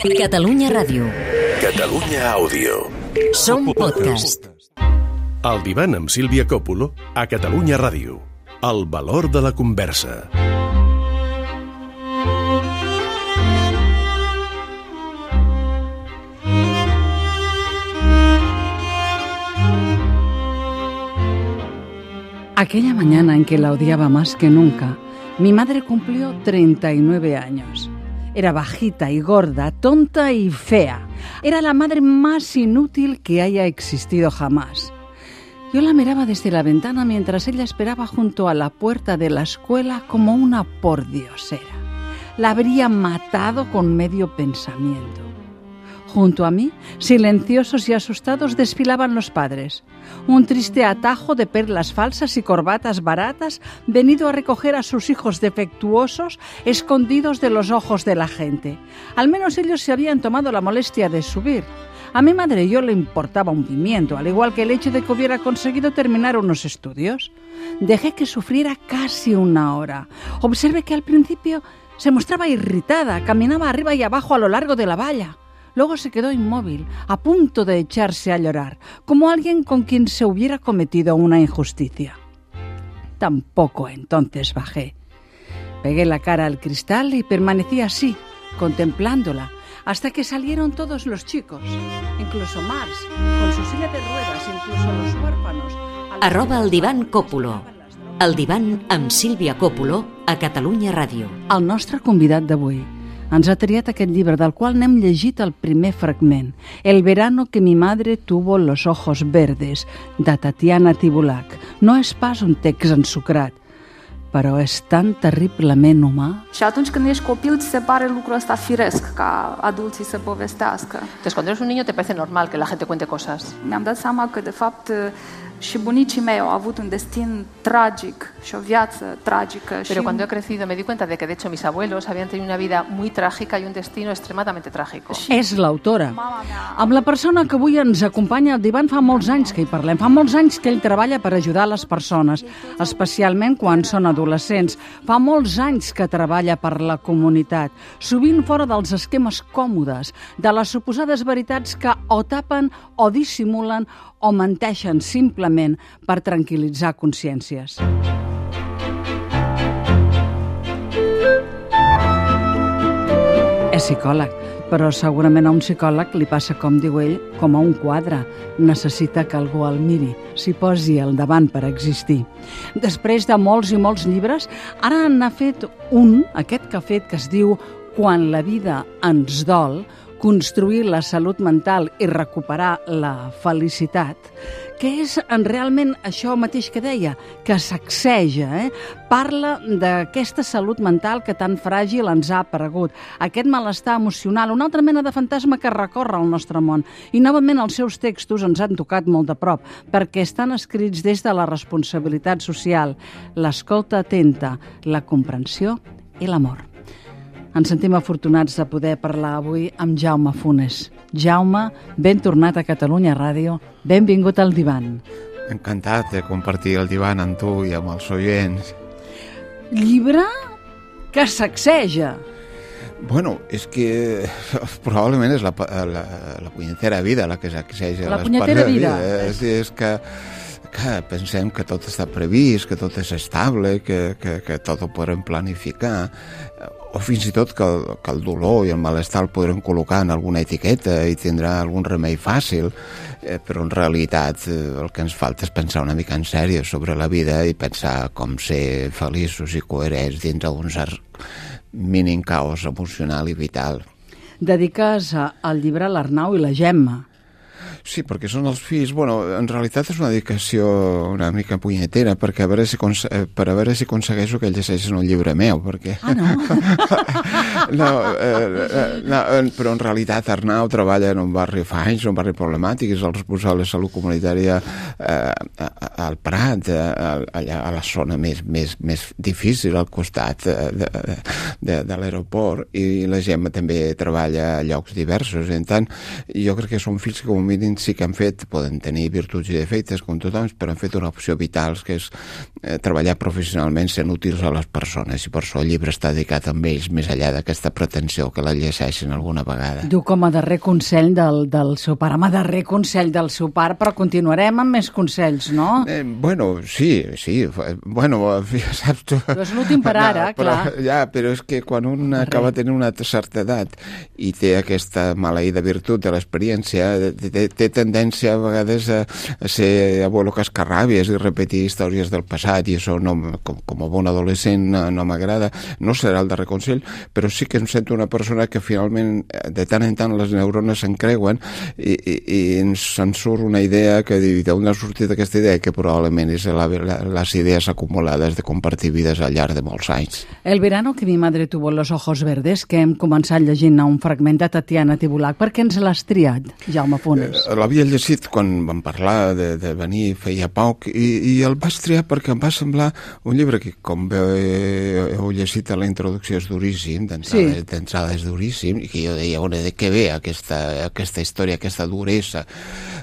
Catalunya Ràdio. Catalunya Àudio. Som podcast. El divan amb Sílvia Coppolo a Catalunya Ràdio. El valor de la conversa. Aquella mañana en que la odiaba más que nunca, mi madre cumplió 39 años. Era bajita y gorda, tonta y fea. Era la madre más inútil que haya existido jamás. Yo la miraba desde la ventana mientras ella esperaba junto a la puerta de la escuela como una pordiosera. La habría matado con medio pensamiento. Junto a mí, silenciosos y asustados, desfilaban los padres. Un triste atajo de perlas falsas y corbatas baratas, venido a recoger a sus hijos defectuosos, escondidos de los ojos de la gente. Al menos ellos se habían tomado la molestia de subir. A mi madre y yo le importaba un pimiento, al igual que el hecho de que hubiera conseguido terminar unos estudios. Dejé que sufriera casi una hora. Observé que al principio se mostraba irritada, caminaba arriba y abajo a lo largo de la valla. Luego se quedó inmóvil, a punto de echarse a llorar, como alguien con quien se hubiera cometido una injusticia. Tampoco entonces bajé. Pegué la cara al cristal y permanecí así, contemplándola, hasta que salieron todos los chicos, incluso Marx, con su silla de ruedas, incluso los huérfanos. @ el divan Coppolo. El divan amb Sílvia Coppolo a Catalunya Ràdio. El nostre convidat d'avui ens ha triat aquest llibre del qual n'hem llegit el primer fragment, El verano que mi madre tuvo los ojos verdes, de Tatiana Tibulac. No és pas un text ensucrat, però és tan terriblement humà. Și atunci când ești copil, ți se pare lucrul ăsta firesc ca adulții să povestească. Entonces, cuando eres un niño te parece normal que la gente cuente cosas. Mi-am dat seama că, de fapt, și bunicii mei au avut un destin tragic și o viață tragică. Pero cuando he crecido me di cuenta de que, de hecho, mis abuelos habían tenido una vida muy trágica y un destino extremadamente trágico. És l'autora. Amb la persona que avui ens acompanya al divan fa molts anys que hi parlem. Fa molts anys que ell treballa per ajudar les persones, especialment quan són adolescents. Fa molts anys que treballa per la comunitat, sovint fora dels esquemes còmodes, de les suposades veritats que o tapen o dissimulen o menteixen simplement per tranquil·litzar consciències. És psicòleg, però segurament a un psicòleg li passa, com diu ell, com a un quadre. Necessita que algú el miri, s'hi posi al davant per existir. Després de molts i molts llibres, ara n'ha fet un, aquest que ha fet, que es diu Quan la vida ens dol, construir la salut mental i recuperar la felicitat, que és realment això mateix que deia, que sacseja, parla d'aquesta salut mental que tan fràgil ens ha aparegut, aquest malestar emocional, una altra mena de fantasma que recorre al nostre món. I novament els seus textos ens han tocat molt de prop, perquè estan escrits des de la responsabilitat social, l'escolta atenta, la comprensió i l'amor. Ens sentim afortunats de poder parlar avui amb Jaume Funes. Jaume, ben tornat a Catalunya Ràdio. Benvingut al divan. Encantat de compartir el divan amb tu i amb els oients. Llibre que sacseja. Bueno, és que probablement és la punyetera vida la que sacseja. La punyetera vida. És que pensem que tot està previst, que tot és estable, que tot ho podrem planificar, o fins i tot que el dolor i el malestar el podrem col·locar en alguna etiqueta i tindrà algun remei fàcil, però en realitat el que ens falta és pensar una mica en sèrio sobre la vida i pensar com ser feliços i coherents dins d'un cert mínim caos emocional i vital. Dediques el llibre a l'Arnau i la Gemma. Sí, perquè són els fills. Bueno, en realitat és una dedicació una mica punyetera, perquè per a veure si aconsegueixo que ells llegeixin un llibre meu, perquè... Ah, no? No, però en realitat Arnau treballa en un barri fa anys, un barri problemàtic, és el responsable de salut comunitària al Prat, allà a la zona més difícil, al costat de l'aeroport, i la Gemma també treballa a llocs diversos. En tant, jo crec que són fills que com a mínim ells sí que han fet, poden tenir virtuts i defectes com tothom, però han fet una opció vital, que és treballar professionalment sent útils a les persones, i per això el llibre està dedicat a ells, més enllà d'aquesta pretensió que la llegeixen alguna vegada. Diu com a darrer consell del seu pare, darrer consell del seu pare, però continuarem amb més consells, no? Bueno, sí, bueno, saps tu... Però és l'últim per ara, clar. Ja, però és que quan un acaba tenint una certa edat i té aquesta maleïda virtut de l'experiència, té tendència a vegades a ser abuelo cascarràbies i repetir històries del passat, i això com a bon adolescent no m'agrada. No serà el darrer consell, però sí que em sento una persona que finalment de tant en tant les neurones s'encreuen i se'n surt una idea que d'on ha sortit aquesta idea, que probablement és les idees acumulades de compartir vides al llarg de molts anys. El verano que mi madre tuvo los ojos verdes, que hem començat llegint un fragment de Tatiana Tibulac. Per què ens l'has triat, Jaume Funes? L'havia llegit quan vam parlar de venir feia poc i el vaig triar perquè em va semblar un llibre que, com heu llegit a la introducció, és duríssim, d'entrada és duríssim, i que jo deia, de què ve aquesta història, aquesta duresa?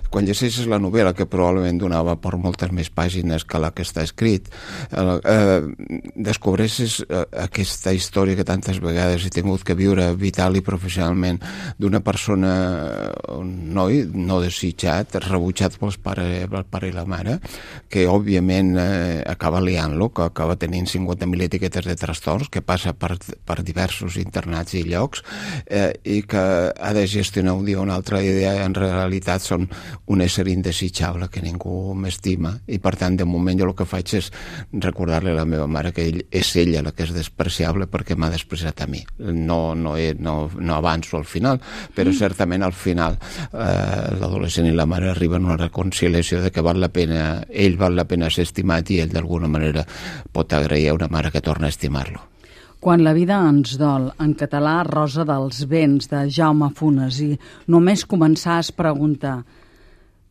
Quan llegeixes la novel·la, que probablement donava per moltes més pàgines que la que està escrit, descobreixes aquesta història que tantes vegades he tingut que viure vital i professionalment d'una persona, un noi no desitjat, rebutjat pel pare i la mare, que òbviament acaba liant-lo, que acaba tenint 50.000 etiquetes de trastorns, que passa per diversos internats i llocs, i que ha de gestionar un dia o una altra idea. En realitat són un ésser indesitjable que ningú m'estima, i per tant de moment jo el que faig és recordar-li a la meva mare que és ella la que és despreciable perquè m'ha despreciat a mi. No avanço al final, però certament al final l'adolescent i la mare arriben a una reconciliació de que ell val la pena ser estimat, i ell d'alguna manera pot agrair a una mare que torna a estimar-lo. Quan la vida ens dol, en català Rosa dels Vents, de Jaume Funes, i només començar es pregunta: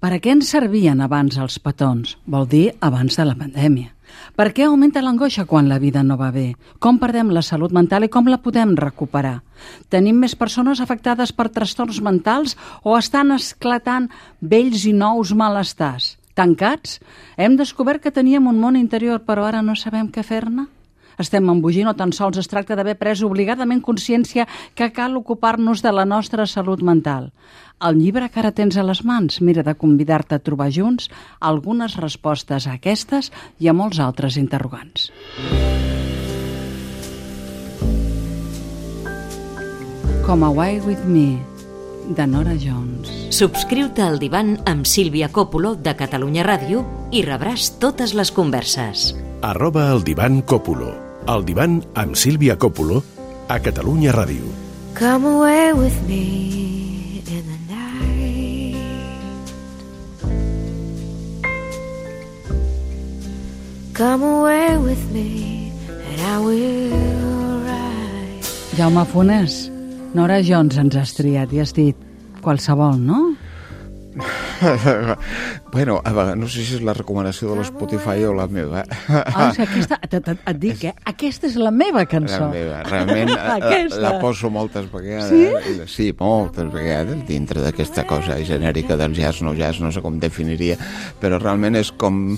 per a què ens servien abans els petons? Vol dir abans de la pandèmia. Per què augmenta l'angoixa quan la vida no va bé? Com perdem la salut mental i com la podem recuperar? Tenim més persones afectades per trastorns mentals o estan esclatant vells i nous malestars? Tancats? Hem descobert que teníem un món interior, però ara no sabem què fer-ne? Estem embogint o tan sols es tracta d'haver pres obligadament consciència que cal ocupar-nos de la nostra salut mental? El llibre que ara tens a les mans mira de convidar-te a trobar junts algunes respostes a aquestes i a molts altres interrogants. Come Away With Me, de Nora Jones. Subscriu-te al Divan amb Sílvia Coppola de Catalunya Ràdio i rebràs totes les converses. @eldivancoppola. El Divan amb Sílvia Coppola a Catalunya Ràdio. Come away with me in the night. Come away with me and I will ride. Jaume Funes, Nora Jones ens has triat i has dit qualsevol, no? Bueno, no sé si és la recomanació de l'Spotify o la meva. Aquesta, et dic, aquesta és la meva cançó. La meva, realment la poso moltes vegades. Sí? Sí, moltes vegades, dintre d'aquesta cosa genèrica del jazz, no sé com definiria, però realment és com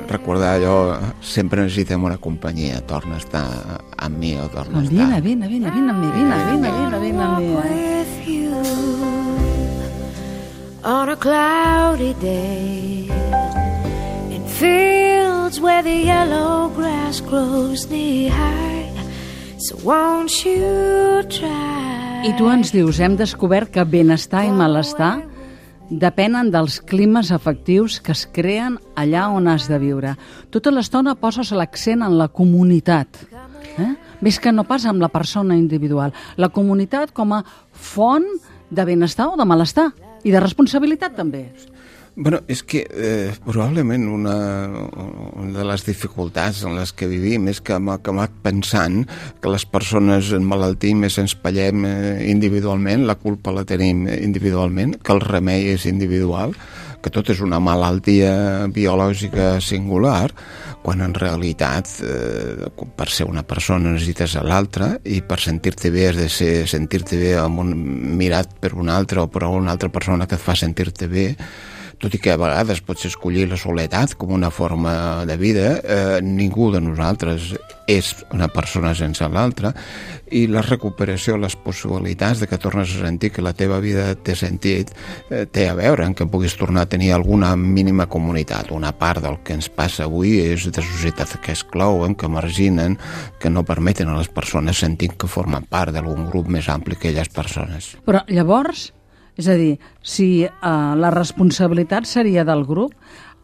recordar allò, sempre necessitem una companyia, torna a estar amb mi o torna a estar... Vine amb mi. On a cloudy day, in fields where the yellow grass grows knee high, so won't you try? I tu ens dius, hem descobert que benestar i malestar depenen dels climes afectius que es creen allà on has de viure. Tota l'estona poses l'accent en la comunitat. Més que no pas amb la persona individual. La comunitat com a font de benestar o de malestar. I de responsabilitat, també. Bueno, és que probablement una de les dificultats en les que vivim és que hem acabat pensant que les persones en malaltia més ens pallem individualment, la culpa la tenim individualment, que el remei és individual, que tot és una malaltia biològica singular, quan en realitat per ser una persona necessites a l'altra, i per sentir-te bé has de sentir-te bé mirat per un altre o per una altra persona que et fa sentir-te bé. Tot i que a vegades pots escollir la soledat com una forma de vida, ningú de nosaltres és una persona sense l'altra, i la recuperació, les possibilitats de que tornes a sentir que la teva vida té sentit, té a veure en que puguis tornar a tenir alguna mínima comunitat. Una part del que ens passa avui és de societats que exclouen, que marginen, que no permeten a les persones sentir que formen part d'algun grup més ampli que elles persones. Però llavors, és a dir, si la responsabilitat seria del grup,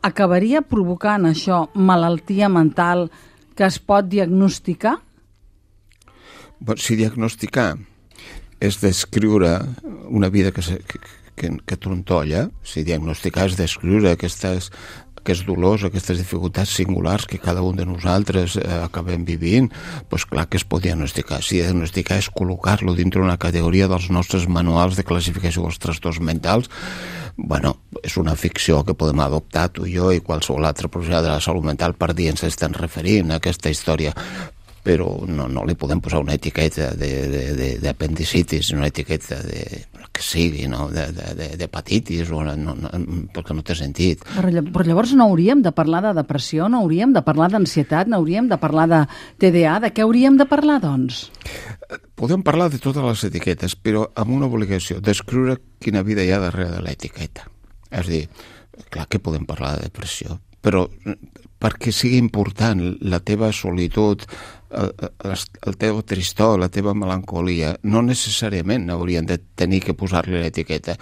acabaria provocant això malaltia mental que es pot diagnosticar? Si diagnosticar és descriure una vida que trontolla, si diagnosticar és descriure aquests dolors, aquestes dificultats singulars que cada un de nosaltres acabem vivint, doncs clar que es pot diagnosticar. Si diagnosticar és col·locar-lo dintre una categoria dels nostres manuals de classificació dels trastorns mentals, bueno, és una ficció que podem adoptar tu i jo i qualsevol altre professional de la salut mental per dir ens estan referint a aquesta història, però no li podem posar una etiqueta d'apendicitis, una etiqueta que sigui, no? d'hepatitis, perquè no té sentit. Però llavors no hauríem de parlar de depressió, no hauríem de parlar d'ansietat, no hauríem de parlar de TDA, de què hauríem de parlar, doncs? Podem parlar de totes les etiquetes, però amb una obligació, descriure quina vida hi ha darrere de l'etiqueta. És a dir, clar que podem parlar de depressió, però perquè sigui important la teva solitud, el teu tristor, la teva melancolia, no necessàriament haurien de tenir que posar-li l'etiqueta.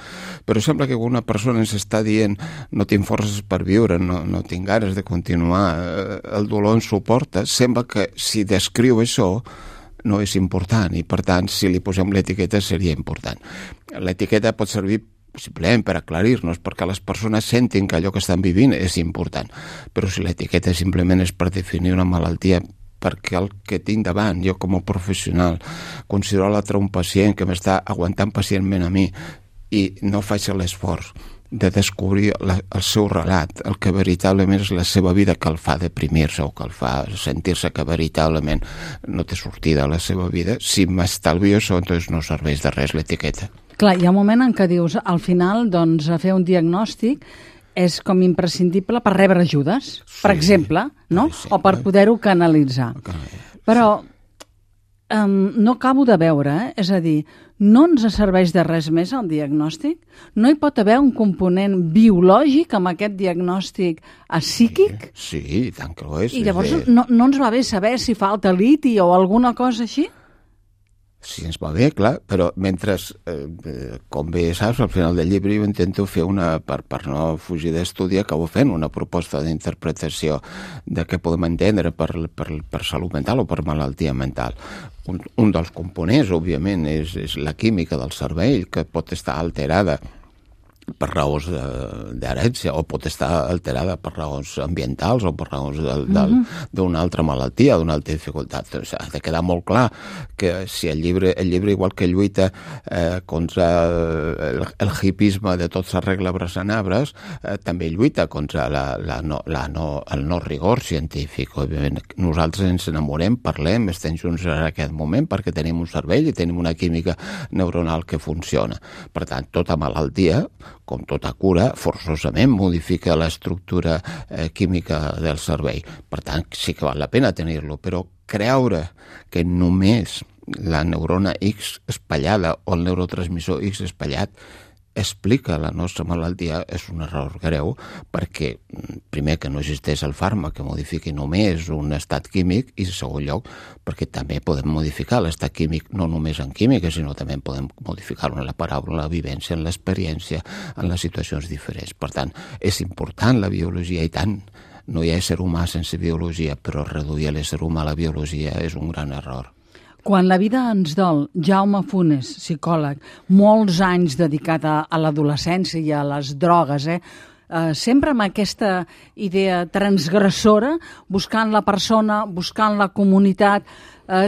Però sembla que una persona ens està dient no tinc forces per viure, no tinc ganes de continuar, el dolor ens suporta. Sembla que si descriu això no és important, i per tant si li posem l'etiqueta seria important. L'etiqueta pot servir possiblement per aclarir-nos, perquè les persones sentin que allò que estan vivint és important, però si l'etiqueta simplement és per definir una malaltia, perquè el que tinc davant, jo com a professional, considero l'altre un pacient que m'està aguantant pacientment a mi i no faig l'esforç de descobrir el seu relat, el que veritablement és la seva vida que el fa deprimir-se o que el fa sentir-se que veritablement no té sortida a la seva vida. Si m'estalvio això, doncs no serveix de res l'etiqueta. Clar, hi ha un moment en què dius, al final, doncs, a fer un diagnòstic és com imprescindible per rebre ajudes, per exemple, no? O per poder-ho canalitzar. Però no acabo de veure, és a dir, no ens serveix de res més el diagnòstic? No hi pot haver un component biològic amb aquest diagnòstic psíquic? Sí, i tant que ho és. I llavors no ens va bé saber si falta liti o alguna cosa així? Sí, ens va bé, clar, però mentre, com bé saps, al final del llibre jo intento fer per no fugir d'estudi, acabo fent una proposta d'interpretació de què podem entendre per salut mental o per malaltia mental. Un dels components, òbviament, és la química del cervell, que pot estar alterada per raons d'herència o pot estar alterada per raons ambientals o per raons d'una altra malaltia, d'una altra dificultat. Doncs ha de quedar molt clar que si el llibre igual que lluita contra el hipisme de tot s'arregla abraçant arbres, també lluita contra el no rigor científic. Òbviament, nosaltres ens enamorem, parlem, estem junts en aquest moment perquè tenim un cervell i tenim una química neuronal que funciona. Per tant, tota malaltia, com tota cura, forçosament modifica l'estructura química del cervell. Per tant, sí que val la pena tenir-lo, però creure que només la neurona X espatllada o el neurotransmissor X espatllat explica la nostra malaltia és un error greu, perquè primer que no existeix el fàrmac que modifiqui només un estat químic, i en segon lloc perquè també podem modificar l'estat químic no només en química, sinó també podem modificar-lo en la paraula, en la vivència, en l'experiència, en les situacions diferents. Per tant, és important la biologia, i tant. No hi ha ésser humà sense biologia, però reduir l'ésser humà a la biologia és un gran error. Quan la vida ens dol, Jaume Funes, psicòleg, molts anys dedicat a l'adolescència i a les drogues, sempre amb aquesta idea transgressora, buscant la persona, buscant la comunitat,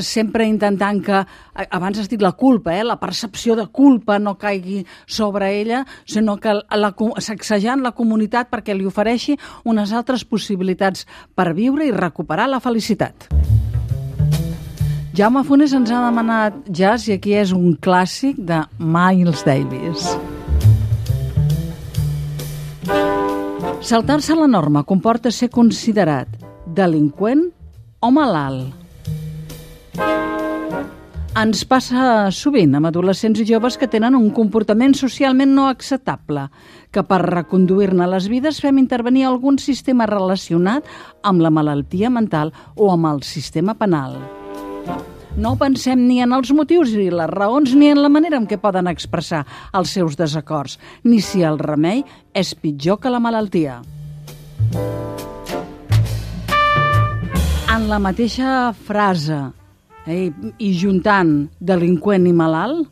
sempre intentant que, abans has dit la culpa, la percepció de culpa no caigui sobre ella, sinó que sacsejant la comunitat perquè li ofereixi unes altres possibilitats per viure i recuperar la felicitat. Jaume Funes ens ha demanat jazz i aquí és un clàssic de Miles Davis. Saltar-se la norma comporta ser considerat delinqüent o malalt. Ens passa sovint amb adolescents i joves que tenen un comportament socialment no acceptable, que per reconduir-ne les vides fem intervenir algun sistema relacionat amb la malaltia mental o amb el sistema penal. No pensem ni en els motius ni les raons ni en la manera en què poden expressar els seus desacords, ni si el remei és pitjor que la malaltia. En la mateixa frase i juntant delinqüent i malalt?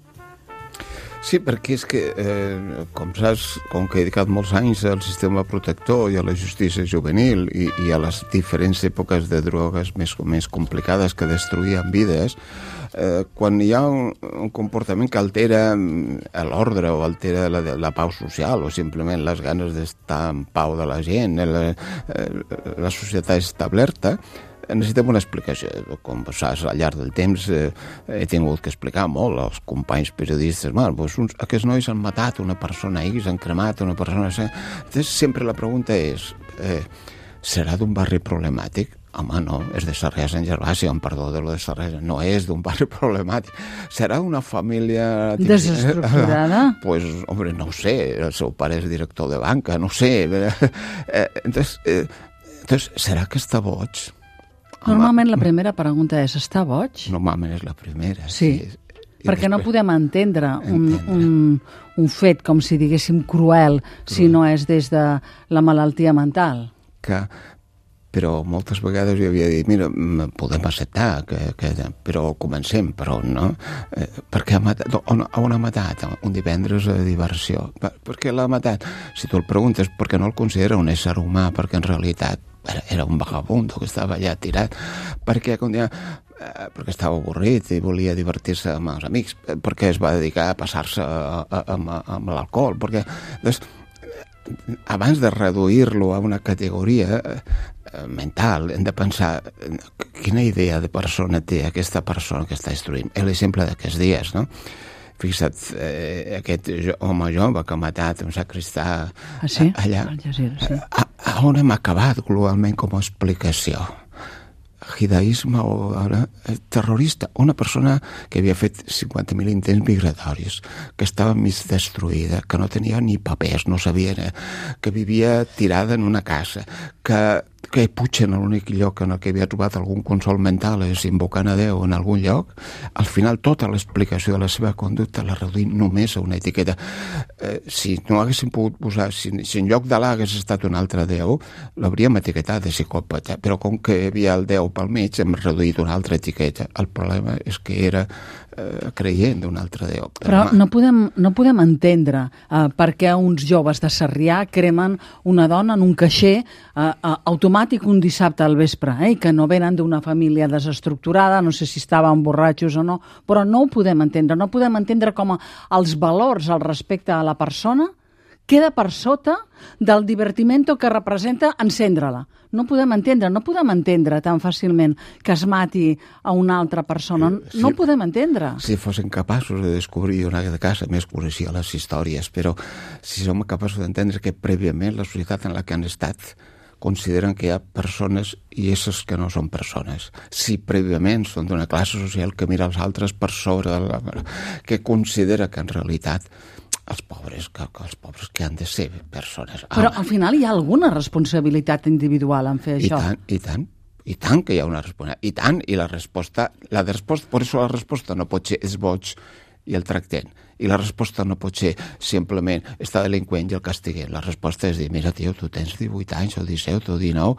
Sí, perquè és que, com saps, com que he dedicat molts anys al sistema protector i a la justícia juvenil i a les diferents èpoques de drogues més complicades que destruïen vides, quan hi ha un comportament que altera l'ordre o altera la pau social o simplement les ganes d'estar en pau de la gent, la societat establerta, necessitem una explicació. Com saps, al llarg del temps he tingut que explicar molt als companys periodistes. Aquests nois han matat una persona X, han cremat una persona... Entonces, sempre la pregunta és, serà d'un barri problemàtic? Home, no, és de Sarrià Sant Gervasi, amb perdó de lo de Sarrià, no és d'un barri problemàtic. Serà una família... Desestructurada? Pues, hombre, no ho sé, el seu pare és director de banca, no ho sé. Entonces, serà que està boig? Normalment la primera pregunta és, està boig? Normalment és la primera. Sí, perquè no podem entendre un fet, com si diguéssim, cruel, si no és des de la malaltia mental. Però moltes vegades jo havia dit, mira, podem acceptar, però comencem, però no. Perquè on ha matat? Un divendres a diversió. Per què l'ha matat? Si tu el preguntes, perquè no el considera un ésser humà, perquè en realitat era un vagabundo que estava allà tirat, perquè estava avorrit i volia divertir-se amb els amics, perquè es va dedicar a passar-se amb l'alcohol, perquè abans de reduir-lo a una categoria mental hem de pensar quina idea de persona té aquesta persona que està destruint. L'exemple d'aquests dies, no? Fixa't, aquest home jove que ha matat un sacristà allà. On hem acabat globalment com a explicació? Judaïsme o terrorista, una persona que havia fet 50.000 intents migratoris, que estava mig destruïda, que no tenia ni papers, no sabia, que vivia tirada en una casa, que Puig en l'únic lloc en el que havia trobat algun consol mental és invocant a Déu en algun lloc, al final tota l'explicació de la seva conducta la reduïm només a una etiqueta. Si no haguéssim pogut posar, si en lloc d'Alà hagués estat un altre Déu, l'hauríem etiquetat de psicòpata, però com que hi havia el Déu pel mig hem reduït una altra etiqueta. El problema és que era creient d'un altre Déu. Però no podem entendre per què uns joves de Sarrià cremen una dona en un caixer automàtic un dissabte al vespre, que no venen d'una família desestructurada, no sé si estaven borratxos o no, però no ho podem entendre. No podem entendre com els valors al respecte a la persona queda per sota del divertimento que representa encendre-la. No podem entendre tan fàcilment que es mati a una altra persona. No ho podem entendre. Si fossin capaços de descobrir una casa, més coneixia les històries, però si som capaços d'entendre que prèviament la societat en la que han estat consideren que hi ha persones i éssers que no són persones. Si prèviament són d'una classe social que mira els altres per sobre, que considera que en realitat els pobres que han de ser persones. Però al final hi ha alguna responsabilitat individual en fer això. I tant que hi ha una responsabilitat. I tant, i la resposta, per això la resposta no pot ser és boig i el tractem. I la resposta no pot ser simplement estar delinqüent i el castiguem. La resposta és dir, mira, tio, tu tens 18 anys o 17 o 19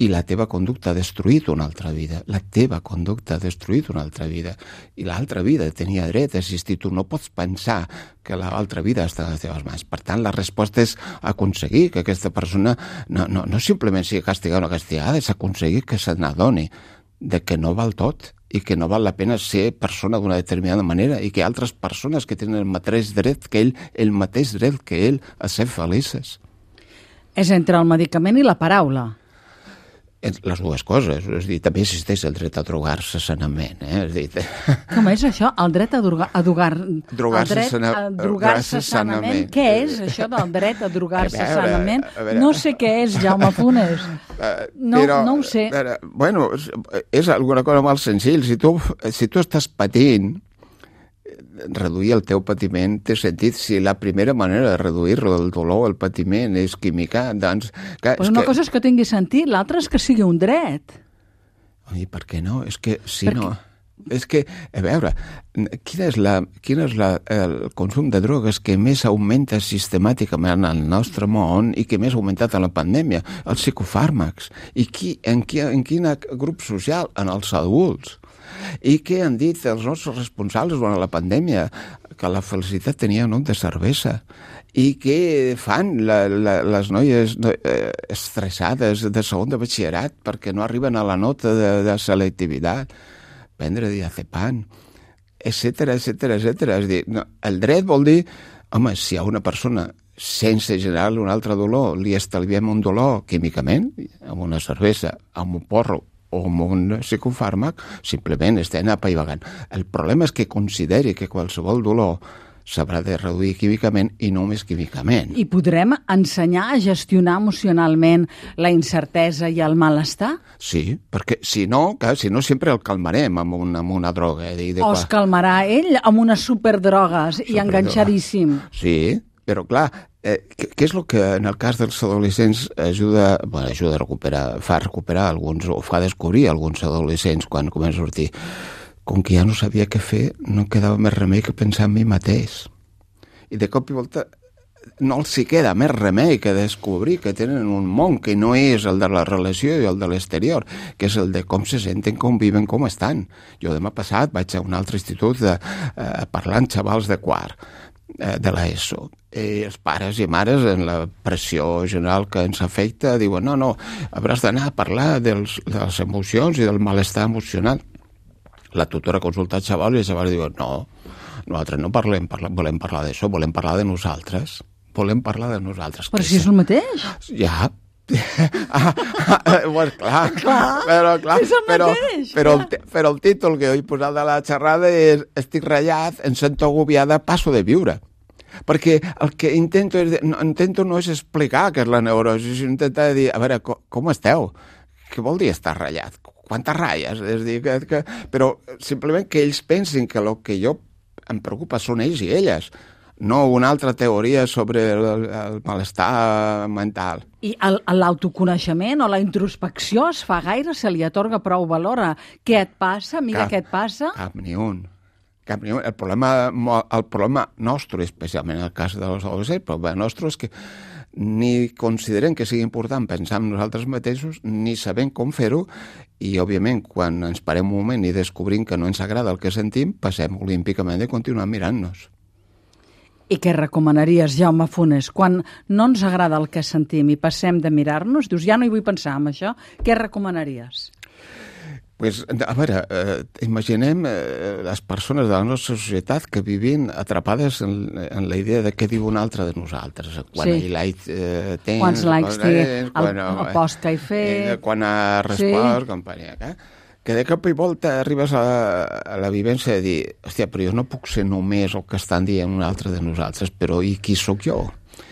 i la teva conducta ha destruït una altra vida. La teva conducta ha destruït una altra vida. I l'altra vida tenia dret a existir. Tu no pots pensar que l'altra vida està a les teves mans. Per tant, la resposta és aconseguir que aquesta persona no simplement sigui castigada o no castigada, és aconseguir que se n'adoni de que no val tot i que no val la pena ser persona d'una determinada manera i que altres persones que tenen el mateix dret que ell, el mateix dret que ell a ser felices. És entre el medicament i la paraula. Les dues coses, és a dir, també existeix el dret a drogar-se sanament, És a dir... Com és això? El dret a drogar-se sanament. Què és això del dret a drogar-se sanament? No sé què és, Jaume Funes. No ho sé. Bueno, és alguna cosa molt senzill. Si tu estàs patint, reduir el teu patiment té sentit. Si la primera manera de reduir-lo, el dolor, el patiment, és química, doncs... Però una cosa és que tingui sentit, l'altra és que sigui un dret. I per què no? És que, si no... És que, a veure, quin és el consum de drogues que més augmenta sistemàticament al nostre món i que més ha augmentat en la pandèmia? Els psicofàrmacs. I en quin grup social? En els adults. I què han dit els nostres responsables durant la pandèmia? Que la felicitat tenia nom de cervesa. I què fan les noies estressades de segon de batxillerat perquè no arriben a la nota de selectivitat? Prendre diazepam, etcètera. És dir, el dret vol dir, home, si a una persona sense generar-li un altre dolor li estalviem un dolor químicament, amb una cervesa, amb un porro o amb un psicofàrmac, simplement estem apaivagant. El problema és que consideri que qualsevol dolor s'haurà de reduir químicament i no només químicament. I podrem ensenyar a gestionar emocionalment la incertesa i el malestar? Sí, perquè si no sempre el calmarem amb una droga. O es calmarà ell amb unes superdrogues i enganxadíssim. Sí, però clar, què és el que en el cas dels adolescents ajuda a recuperar, fa recuperar alguns, o fa descobrir alguns adolescents quan comença a sortir? Com que ja no sabia què fer, no quedava més remei que pensar en mi mateix. I de cop i volta no els hi queda més remei que descobrir que tenen un món que no és el de la relació i el de l'exterior, que és el de com se senten, com viven, com estan. Jo demà passat vaig a un altre institut a parlar amb xavals de quart de l'ESO. I els pares i mares, en la pressió general que ens afecta, diuen no, hauràs d'anar a parlar de les emocions i del malestar emocional. La tutora consulta el xaval i el xaval diu nosaltres no volem parlar d'això, volem parlar de nosaltres. Però si és el mateix? Ja. Bueno, clar, és el mateix. Però el títol que he posat de la xerrada és estic ratllat, em sento agobiada, passo de viure. Perquè el que intento no és explicar què és la neurosi, sinó intentar dir, a veure, com esteu? Què vol dir estar ratllat? Quantes ratlles? És a dir, però simplement que ells pensin que el que jo em preocupa són ells i elles, no una altra teoria sobre el malestar mental. I l'autoconeixement o la introspecció es fa gaire? Se li atorga prou valor a què et passa, amiga, què et passa? Cap ni un. El problema nostre, especialment en el cas dels adolescents, el problema nostre és que ni considerem que sigui important pensar en nosaltres mateixos, ni sabem com fer-ho, i, òbviament, quan ens parem un moment i descobrim que no ens agrada el que sentim, passem olímpicament de continuar mirant-nos. I què recomanaries, Jaume Funes? Quan no ens agrada el que sentim i passem de mirar-nos, dius, ja no hi vull pensar en això, què recomanaries? Pues, a veure, imaginem les persones de la nostra societat que vivin atrapades en la idea de què diu un altre de nosaltres. Quants likes tens, quants likes té el post que he fet, quan ha respost, companyia. Que de cop i volta arribes a la vivència de dir, hòstia, però jo no puc ser només el que estan dient un altre de nosaltres, però i qui sóc jo?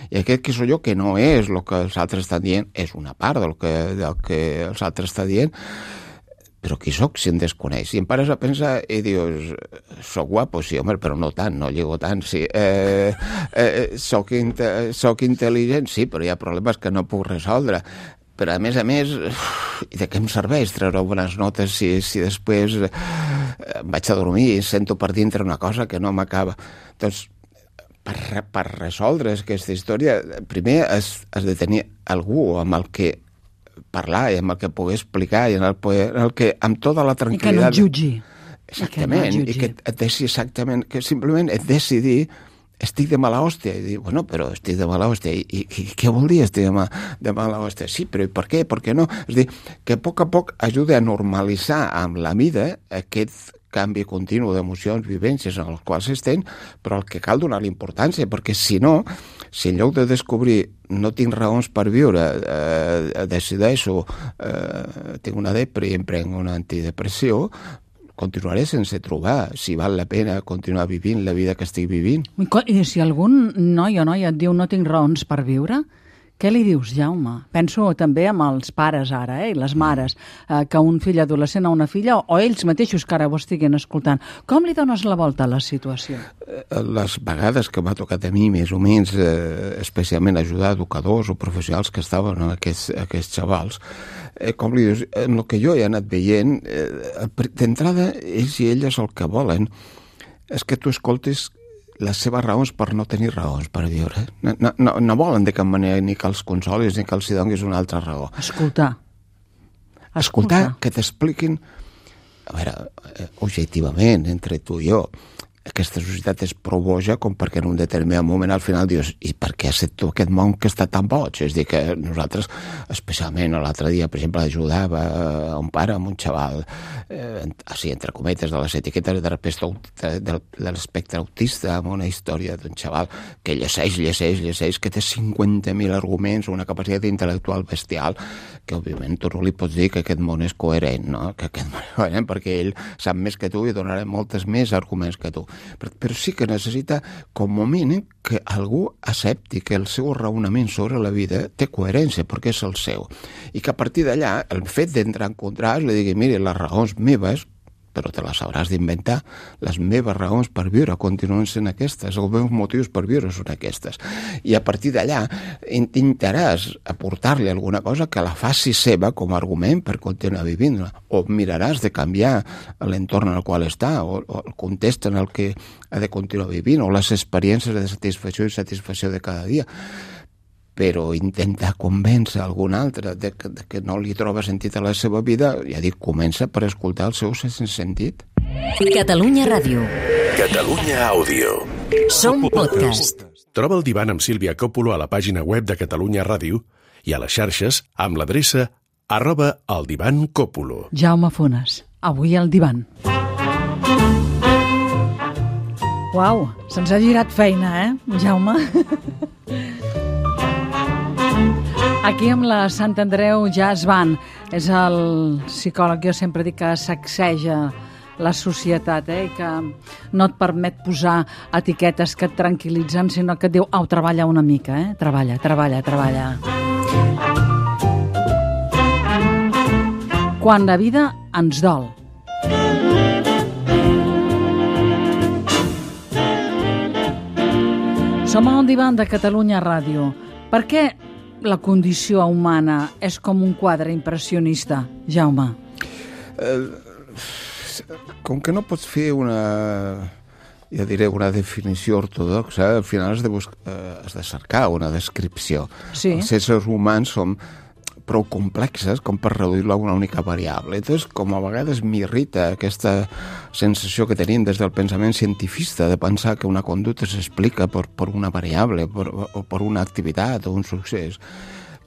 I aquest qui sóc jo, que no és el que els altres estan dient, és una part del que els altres estan dient, però qui soc si em desconeix? I em pares a pensar i dius, soc guapo, sí, home, però no tant, no llego tant, sí. Soc intel·ligent, sí, però hi ha problemes que no puc resoldre. Però, a més, i de què em serveix treure bones notes si després vaig a dormir i sento per dintre una cosa que no m'acaba? Doncs per resoldre aquesta història, primer has de tenir algú amb el que parlar i amb el que poder explicar i amb tota la tranquil·litat... I que no et jutgi. Exactament, i que et deixi exactament, que simplement et decidir estic de mala hòstia, i dir, bueno, però estic de mala hòstia, i què vol dir estic de mala hòstia? Sí, però per què? Per què no? És dir, que a poc ajuda a normalitzar amb la vida aquest canvi continu d'emocions, vivències en els quals estem, però el que cal donar l'importància, perquè si no, si en lloc de descobrir no tinc raons per viure, decideixo, tinc una depre i em prenc una antidepressió, continuaré sense trobar si val la pena continuar vivint la vida que estic vivint. I si algun noi o noia et diu no tinc raons per viure, què li dius, Jaume? Penso també amb els pares ara, i les mares, que un fill adolescent o una filla, o ells mateixos que ara ho estiguin escoltant. Com li dones la volta a la situació? Les vegades que m'ha tocat a mi, més o menys, especialment ajudar educadors o professionals que estaven amb aquests xavals, com li dius, el que jo he anat veient, d'entrada, ells i elles el que volen és que tu escoltis les seves raons per no tenir raons per viure. No volen de cap manera ni que els consolis ni que els donis una altra raó. Escoltar, que t'expliquin, a veure, objectivament, entre tu i jo, aquesta societat és prou boja com perquè en un determinat moment al final dius, i per què has set tu aquest món que està tan boig? És dir, que nosaltres, especialment l'altre dia, per exemple, ajudava a un pare amb un xaval, així, entre cometes, de les etiquetes de l'espectre autista, amb una història d'un xaval que llegeix, que té 50.000 arguments, una capacitat intel·lectual bestial, que òbviament tu no li pots dir que aquest món és coherent, no? Que aquest món és coherent perquè ell sap més que tu i donarà moltes més arguments que tu. Però sí que necessita, com a mínim, que algú accepti que el seu raonament sobre la vida té coherència, perquè és el seu. I que a partir d'allà, el fet d'entrar en contrast, li digui, mira, les raons meves, però te les hauràs d'inventar, les meves raons per viure continuen sent aquestes, els meus motius per viure són aquestes. I a partir d'allà intentaràs aportar-li alguna cosa que la faci seva com a argument per continuar vivint-la, o miraràs de canviar l'entorn en el qual està, o el context en el que ha de continuar vivint, o les experiències de satisfacció i satisfacció de cada dia. Però intentar convèncer algun altre de que no li troba sentit a la seva vida, ja dic, comença per escoltar el seu sentit. Catalunya Ràdio. Catalunya Àudio. Som podcast. Troba el Divan amb Sílvia Coppola a la pàgina web de Catalunya Ràdio i a les xarxes amb l'adreça @eldivancopolo. Jaume Funes, avui al Divan. Uau, se'ns ha girat feina, Jaume? Aquí amb la Sant Andreu Jazz Band. És el psicòleg, jo sempre dic que sacseja la societat, i que no et permet posar etiquetes que et tranquil·litzen, sinó que et diu, au, treballa una mica, treballa. Quan la vida ens dol. Som al Divan de Catalunya Ràdio. Per què la condició humana és com un quadre impressionista, Jaume? Com que no pots fer una definició ortodoxa, al final has de cercar una descripció. Sí. Els éssers humans som prou complexes com per reduir-lo a una única variable. Entonces, com a vegades m'irrita aquesta sensació que tenim des del pensament cientifista de pensar que una conducta s'explica per una variable o per una activitat o un succés,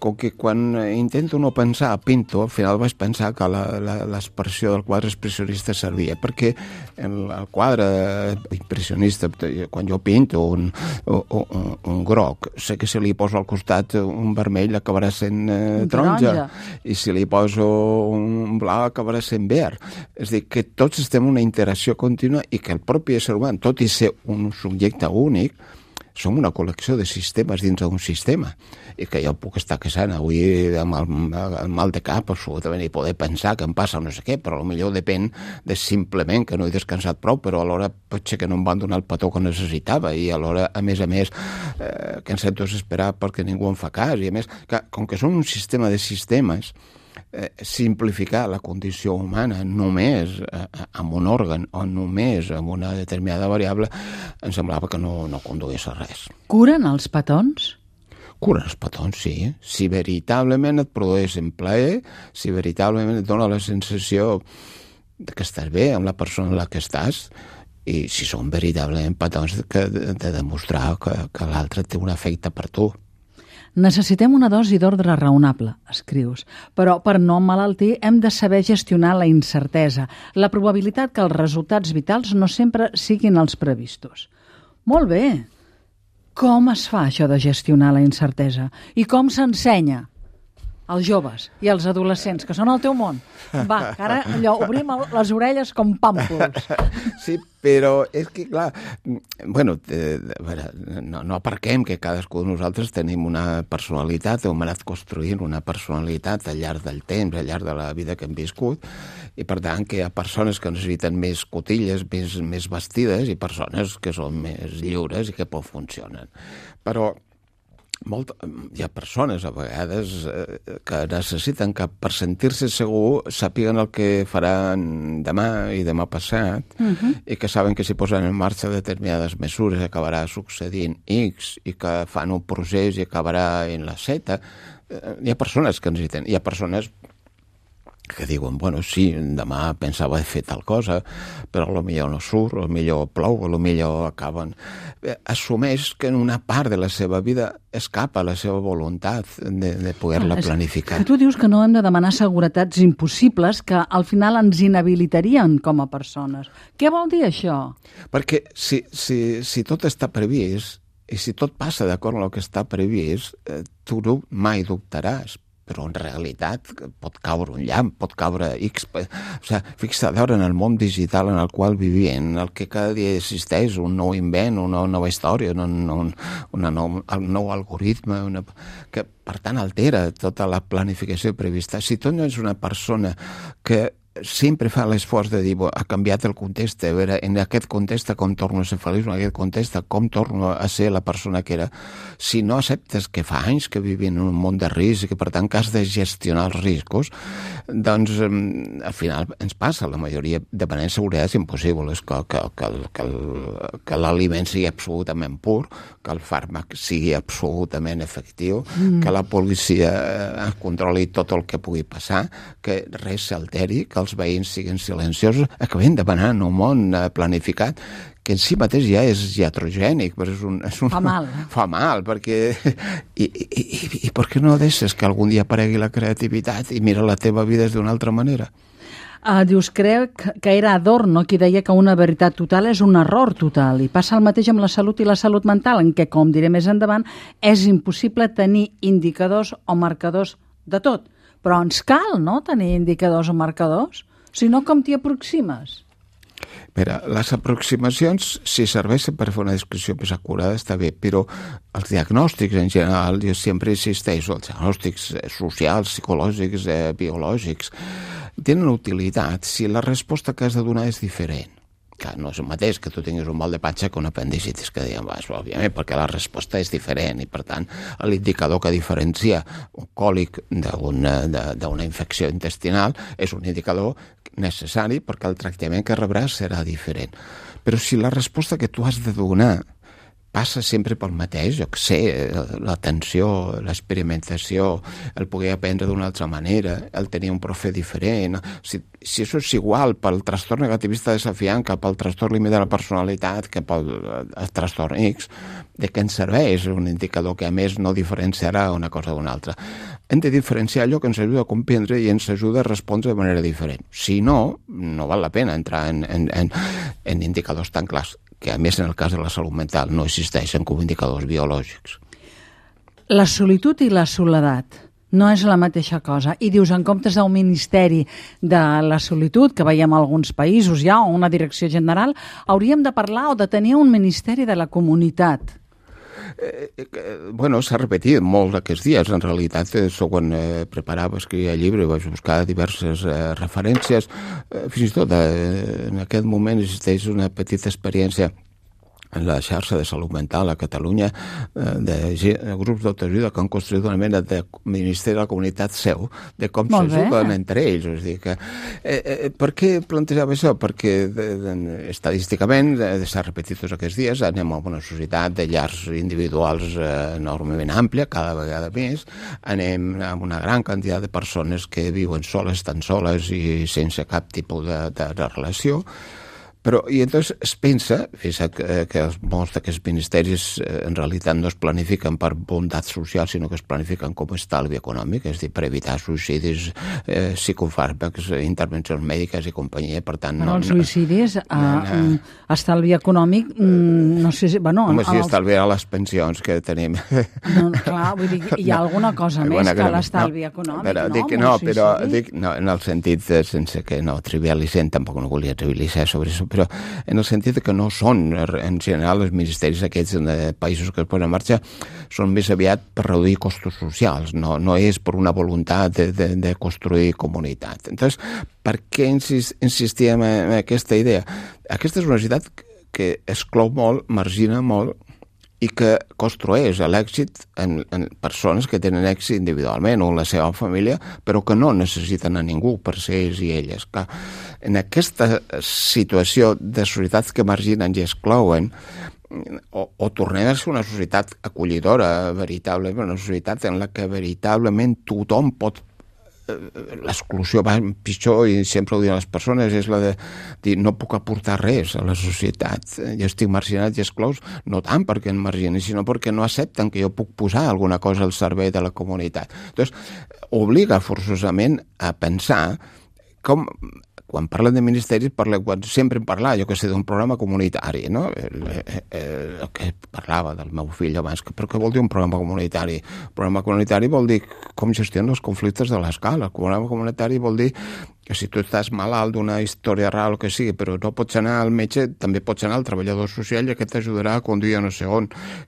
com que quan intento no pensar, pinto, al final vaig pensar que l'expressió del quadre expressionista servia, perquè el quadre impressionista, quan jo pinto un groc, sé que si li poso al costat un vermell acabarà sent taronja, i si li poso un blau acabarà sent verd. És a dir, que tots estem en una interacció contínua i que el propi ésser humà, tot i ser un subjecte únic, som una col·lecció de sistemes dins d'un sistema, i que jo puc estar casant avui amb el mal de cap absolutament i poder pensar que em passa no sé què, però potser depèn de simplement que no he descansat prou, però alhora potser que no em van donar el petó que necessitava, i alhora, a més, que em sento desesperat perquè ningú em fa cas, i a més, com que som un sistema de sistemes, simplificar la condició humana només amb un òrgan o només amb una determinada variable, em semblava que no conduís a res. Curen els petons? Curen els petons, sí. Si veritablement et produeixen plaer, si veritablement et dona la sensació que estàs bé amb la persona amb la que estàs, i si són veritablement petons de demostrar que l'altre té un efecte per tu. Necessitem una dosi d'ordre raonable, escrius, però per no emmalaltir hem de saber gestionar la incertesa, la probabilitat que els resultats vitals no sempre siguin els previstos. Molt bé! Com es fa això de gestionar la incertesa? I com s'ensenya als joves i als adolescents, que són el teu món? Va, que ara allò, obrim les orelles com pàmpols. Sí, però és que, clar, bueno, no aparquem que cadascú de nosaltres tenim una personalitat, hem anat construint una personalitat al llarg del temps, al llarg de la vida que hem viscut, i per tant que hi ha persones que necessiten més cotilles, més vestides, i persones que són més lliures i que poc funcionen. Però hi ha persones a vegades que necessiten que per sentir-se segur sàpiguen el que faran demà i demà passat, i que saben que si posen en marxa determinades mesures acabarà succeint X, i que fan un procés i acabarà en la Z. Hi ha persones que necessiten, hi ha persones que diuen, bueno, sí, demà pensava fer tal cosa, però potser no surt, potser plou, potser acaben. Assumeix que en una part de la seva vida escapa la seva voluntat de poder-la planificar. Tu dius que no hem de demanar seguretats impossibles que al final ens inhabilitarien com a persones. Què vol dir això? Perquè si tot està previst, i si tot passa d'acord amb el que està previst, tu mai dubtaràs. Però en realitat pot caure un llamp, pot caure X. O sigui, fixa't, en el món digital en el qual vivim, en el que cada dia existeix un nou invent, una nova història, un nou algoritme, que per tant altera tota la planificació prevista. Si tu no ets una persona que sempre fa l'esforç de dir, ha canviat el context, a veure, en aquest context com torno a ser feliç, en aquest context com torno a ser la persona que era. Si no acceptes que fa anys que vivim en un món de risc i que per tant que has de gestionar els riscos, doncs al final ens passa, la majoria demanem seguretat impossibles, que l'aliment sigui absolutament pur, que el fàrmac sigui absolutament efectiu, que la policia controli tot el que pugui passar, que res s'alteri, que els veïns siguin silenciosos. Acabem demanant un món planificat que en si mateix ja és iatrogènic, però fa mal. Fa mal, perquè i per què no deixes que algun dia aparegui la creativitat i mira la teva vida d'una altra manera? Dius, crec que era Adorno qui deia que una veritat total és un error total, i passa el mateix amb la salut i la salut mental, en què, com diré més endavant, és impossible tenir indicadors o marcadors de tot. Però ens cal, no?, tenir indicadors o marcadors? Si no, com t'hi aproximes? Mira, les aproximacions, si serveixen per fer una descripció més acurada, està bé, però els diagnòstics en general, jo sempre insisteixo, els diagnòstics socials, psicològics, biològics, tenen utilitat si la resposta que has de donar és diferent. Clar, no és el mateix que tu tinguis un mal de patxa que un apendicitis, que diguem, òbviament, perquè la resposta és diferent i, per tant, l'indicador que diferencia un còlic d'una infecció intestinal és un indicador necessari perquè el tractament que rebràs serà diferent. Però si la resposta que tu has de donar passa sempre pel mateix, jo què sé, l'atenció, l'experimentació, el poder aprendre d'una altra manera, el tenir un profe diferent. Si això és igual pel trastorn negativista desafiant que pel trastorn límit de la personalitat, que pel trastorn X, de què ens serveix un indicador que a més no diferenciarà una cosa d'una altra? Hem de diferenciar allò que ens ajuda a comprendre i ens ajuda a respondre de manera diferent. Si no, no val la pena entrar en indicadors tan clars, que a més en el cas de la salut mental no existeixen com indicadors biològics. La solitud i la soledat no és la mateixa cosa. I dius, en comptes d'un ministeri de la solitud, que veiem a alguns països ja, o una direcció general, hauríem de parlar o de tenir un ministeri de la comunitat. Bueno, s'ha repetit molt aquests dies. En realitat, quan preparava, escrivia el llibre, vaig buscar diverses referències. Fins i tot, en aquest moment existeix una petita experiència en la xarxa de salut mental a Catalunya, de grups d'autoajuda que han construït una mena de ministeri de la comunitat seu, de com s'ajuden entre ells. És dir, que, per què plantejava això? Perquè estadísticament, s'ha repetit tots aquests dies, anem a una societat de llars individuals enormement àmplia, cada vegada més, anem amb una gran quantitat de persones que viuen soles, tan soles i sense cap tipus de relació. Però, i entonces es pensa, que molts d'aquests ministeris en realitat no es planifiquen per bondat social, sinó que es planifiquen com a estalvi econòmic, és a dir, per evitar suïcidis, psicofàrmacs, intervencions mèdiques i companyia, per tant... Però els suïcidis, estalvi econòmic, no sé si... Home, sí, estalviarà les pensions que tenim. Clar, vull dir, hi ha alguna cosa més que l'estalvi econòmic, no? Però dic, en el sentit, sense que no trivialitzem, tampoc no volia trivialitzar sobre això, però en el sentit que no són, en general, els ministeris aquests de països que es posen en marxa són més aviat per reduir costos socials, no és per una voluntat de construir comunitat. Entonces, per què insistíem en aquesta idea? Aquesta és una societat que exclou molt, margina molt, i que construeix l'èxit en persones que tenen èxit individualment o en la seva família, però que no necessiten a ningú per ser ells i elles. Clar, en aquesta situació de societats que marginen i exclouen, o tornem a ser una societat acollidora, veritablement, una societat en la que veritablement tothom pot... L'exclusió va pitjor, i sempre ho diuen les persones, és la de dir no puc aportar res a la societat, jo estic marginat i exclòs, no tant perquè em margini, sinó perquè no accepten que jo puc posar alguna cosa al servei de la comunitat. Doncs obliga forçosament a pensar com... Quan parlen de ministeris, sempre en parlar, jo que sé, d'un programa comunitari, no? El que parlava del meu fill abans, però què vol dir un programa comunitari? Un programa comunitari vol dir com gestionen els conflictes de l'escala. El programa comunitari vol dir que si tu estàs malalt d'una història rara o que sigui, però no pots anar al metge, també pots anar al treballador social i aquest t'ajudarà a conduir no sé on,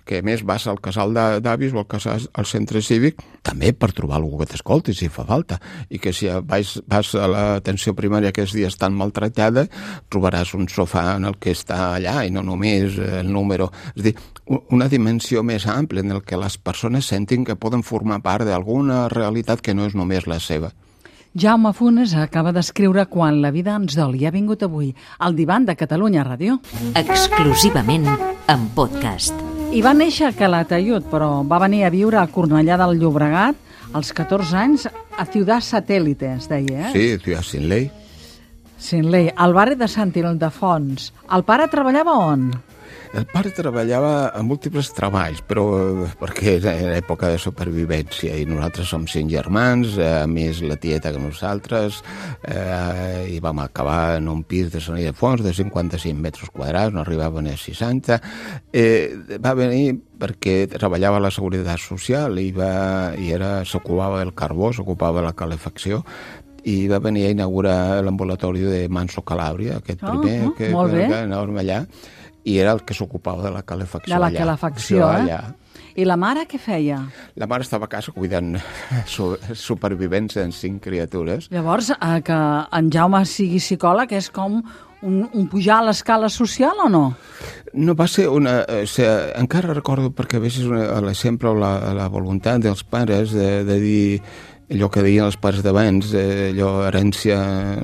que a més vas al casal d'avis o al centre cívic, també per trobar algú que t'escolti, si fa falta, i que si vas a l'atenció primària aquests dies tan maltractada, trobaràs un sofà en el que està allà i no només el número. És a dir, una dimensió més àmplia en el que les persones sentin que poden formar part d'alguna realitat que no és només la seva. Jaume Funes acaba d'escriure Quan la vida ens dol i ha vingut avui al divan de Catalunya Ràdio. Exclusivament en podcast. I va néixer a Calatayud, però va venir a viure a Cornellà del Llobregat als 14 anys a Ciudad Satélite, es deia, Sí, Ciudad Sin Ley. Sin Ley, al barri de Sant Ildefons. El pare treballava on? El pare treballava en múltiples treballs, però perquè era època de supervivència i nosaltres som 5 germans, més la tieta que nosaltres, i vam acabar en un pis de Sant Ildefons de 55 metres quadrats, no arribaven a 60. Va venir perquè treballava a la Seguretat Social i s'ocupava del carbó, s'ocupava de la calefacció, i va venir a inaugurar l'ambulatori de Manso Calabria, aquest primer que anàvem allà, i era el que s'ocupava de la calefacció allà. De la calefacció, allà. I la mare què feia? La mare estava a casa cuidant supervivents en 5 criatures. Llavors, que en Jaume sigui psicòleg és com un pujar a l'escala social o no? No va ser una... encara recordo, perquè a vegades l'exemple o la voluntat dels pares de dir... Allò que deien els pares d'abans, herència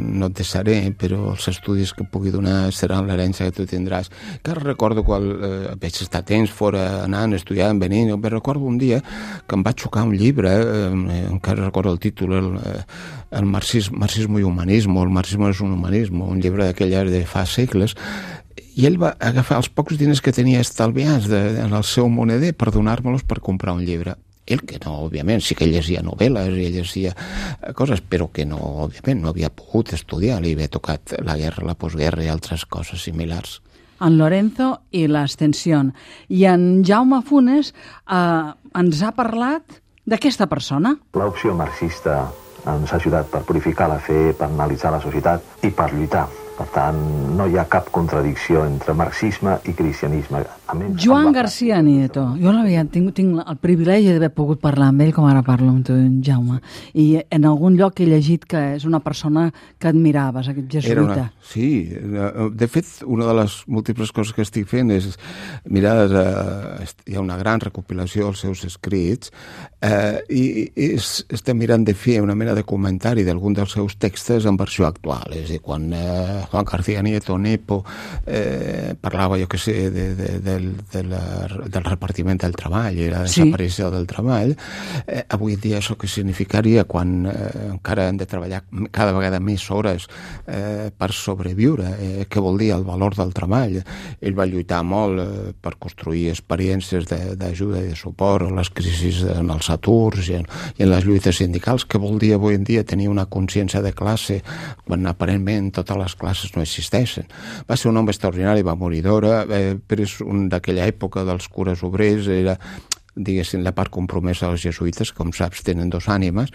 no et deixaré, però els estudis que pugui donar seran l'herència que tu tindràs. Encara recordo quan vaig estar temps fora anant, estudiant, venint, però recordo un dia que em va xocar un llibre, encara recordo el títol, el marxismo i humanismo, el marxismo és un humanismo, un llibre d'aquella de fa segles, i ell va agafar els pocs diners que tenia estalviats en el seu moneder per donar-me-los per comprar un llibre. Ell que no, òbviament, sí que llegia novel·les i llegia coses, però que no, òbviament, no havia pogut estudiar, li havia tocat la guerra, la postguerra i altres coses similars. En Lorenzo i l'Ascensión. I en Jaume Funes ens ha parlat d'aquesta persona. L'opció marxista ens ha ajudat per purificar la fe, per analitzar la societat i per lluitar Per tant, no hi ha cap contradicció entre marxisme i cristianisme. Joan García Nieto. Jo tinc el privilegi d'haver pogut parlar amb ell, com ara parlo amb tu, Jaume. I en algun lloc he llegit que és una persona que admiraves, aquest jesuïta. Sí, de fet, una de les múltiples coses que estic fent és mirar, hi ha una gran recopilació dels seus escrits i estem mirant de fer una mena de comentari d'algun dels seus textos en versió actual. És a dir, quan Juan García Nieto, Nepo, parlava, jo què sé, del repartiment del treball i la desaparició del treball, avui dia això que significaria quan encara hem de treballar cada vegada més hores per sobreviure, què vol dir el valor del treball. Ell va lluitar molt per construir experiències d'ajuda i de suport a les crisis en els aturs i en les lluites sindicals. Què vol dir avui en dia tenir una consciència de classe quan aparentment totes les classes no existeixen? Va ser un home extraordinari, va morir d'hora, però és un d'aquella època dels cures obrers, era, diguéssim, la part compromesa dels jesuïtes, com saps, tenen dos ànimes,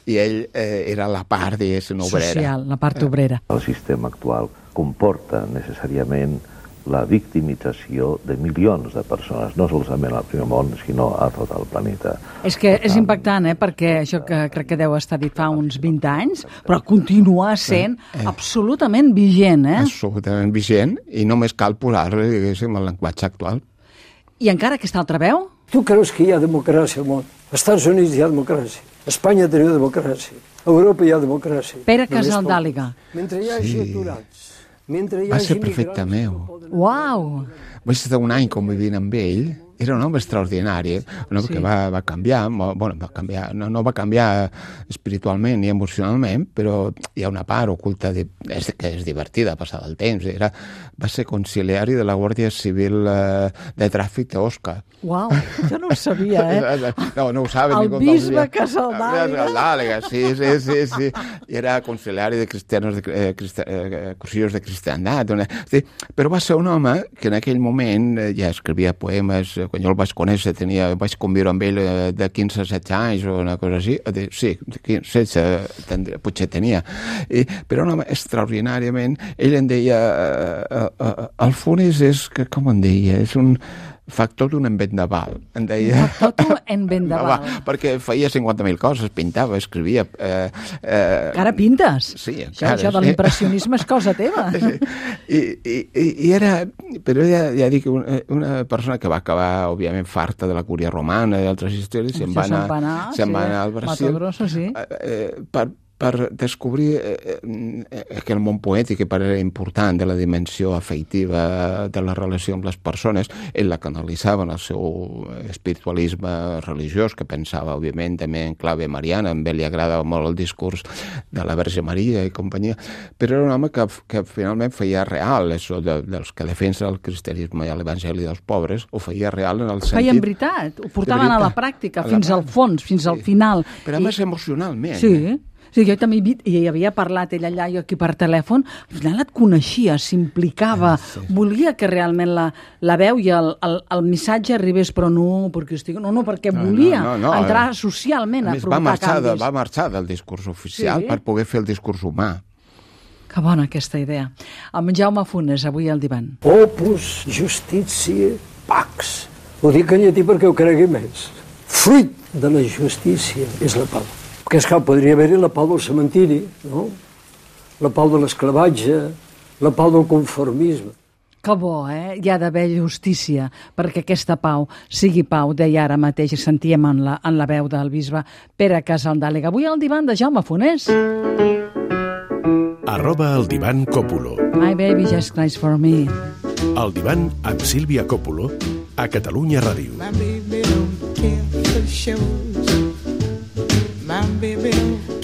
i ell era la part, diguéssim, obrera. Social, la part obrera. El sistema actual comporta necessàriament la victimització de milions de persones, no solament al primer món, sinó a tot el planeta. És que és impactant, perquè això que crec que deu estar dit fa uns 20 anys, però continua sent absolutament vigent, Absolutament vigent, i només cal posar-li, diguéssim, el llenguatge actual. I encara aquesta altra veu? Tu creus que hi ha democràcia al món? Als Estats Units hi ha democràcia. A Espanya teniu democràcia. A Europa hi ha democràcia. Pere Casaldàliga. Mentre hi hagi aturats, mentre hi va hagi ser prefecte meu. Uau! Vaig estar un any convivint amb ell. Era un home extraordinari, un home que va canviar, no va canviar espiritualment ni emocionalment, però hi ha una part oculta que és divertida, passar del temps. Va ser conciliari de la Guàrdia Civil de Tràfic d'Osca. Uau, jo no ho sabia, No ho saben. El bisbe Casaldàliga. Sí. I era conciliari de cristianos, cursillos de cristiandat. Però va ser un home que en aquell moment ja escrivia poemes. Quan jo el vaig conèixer, vaig conviure amb ell de 15 a 16 anys o una cosa així. Sí, 16 potser tenia. Però un home extraordinàriament... Ell em deia... El Funes és, com en deia, és un factor d'un vendaval. Em deia... Factor d'un vendaval. Perquè feia 50.000 coses, pintava, escrivia... Encara pintes? Sí, encara. Això de l'impressionisme és cosa teva. I era... Però ja dic, una persona que va acabar, òbviament, farta de la cúria romana i d'altres històries, se'n va anar al Brasil. Mato Grosso, sí. Per descobrir aquell món poètic que per era important de la dimensió afectiva de la relació amb les persones. Ell la canalitzava en el seu espiritualisme religiós, que pensava, òbviament, també en clave mariana. A ell li agradava molt el discurs de la Verge Maria i companyia, però era un home que finalment feia real això dels que defensen el cristianisme i l'evangeli dels pobres, ho feia real en el sentit... Feien veritat, ho portaven a la pràctica, fins al fons, fins al final. Però a més emocionalment. Sí. Sí, jo també hi havia parlat ell allà, jo aquí per telèfon, al final et coneixia, s'implicava, volia que realment la veu i el missatge arribés, però no perquè volia entrar socialment a provocar canvis. Va marxar del discurs oficial per poder fer el discurs humà. Que bona aquesta idea. Amb Jaume Funes, avui al divan. Opus Justitiae Pax. Ho dic en llatí perquè ho cregui més. Fruit de la justícia és la pau. Perquè, esclar, podria haver-hi la pau del cementiri, no? La pau de l'esclavatge, la pau del conformisme. Que bo, Hi ha d'haver justícia perquè aquesta pau sigui pau, deia ara mateix, sentíem en la veu del bisbe Pere Casaldàliga. Avui al divan de Jaume Funes. @el divan Còpolo. My baby just cries for me. El divan amb Sílvia Còpolo a Catalunya Ràdio. My baby don't care for shows.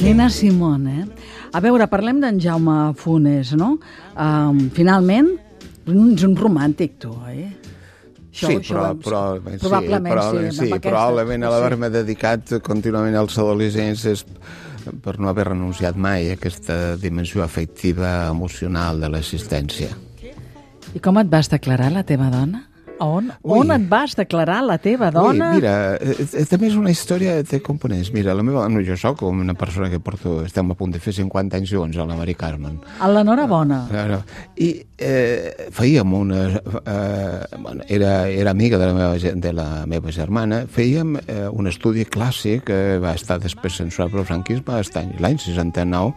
Nina Simone, A veure, parlem d'en Jaume Funes, no? Finalment, és un romàntic, tu, Sí, probablement l'haver-me dedicat contínuament als adolescents és per no haver renunciat mai a aquesta dimensió afectiva, emocional de l'existència. I com et vas declarar la teva dona? On et vas declarar la teva dona? Ui, mira, també és una història de components. Mira, jo soc una persona que estem a punt de fer 50 anys junts, a la Mari Carmen. L'enhorabona. I fèiem era amiga de la meva germana, fèiem un estudi clàssic que va estar després censurat pel franquisme, l'any 69,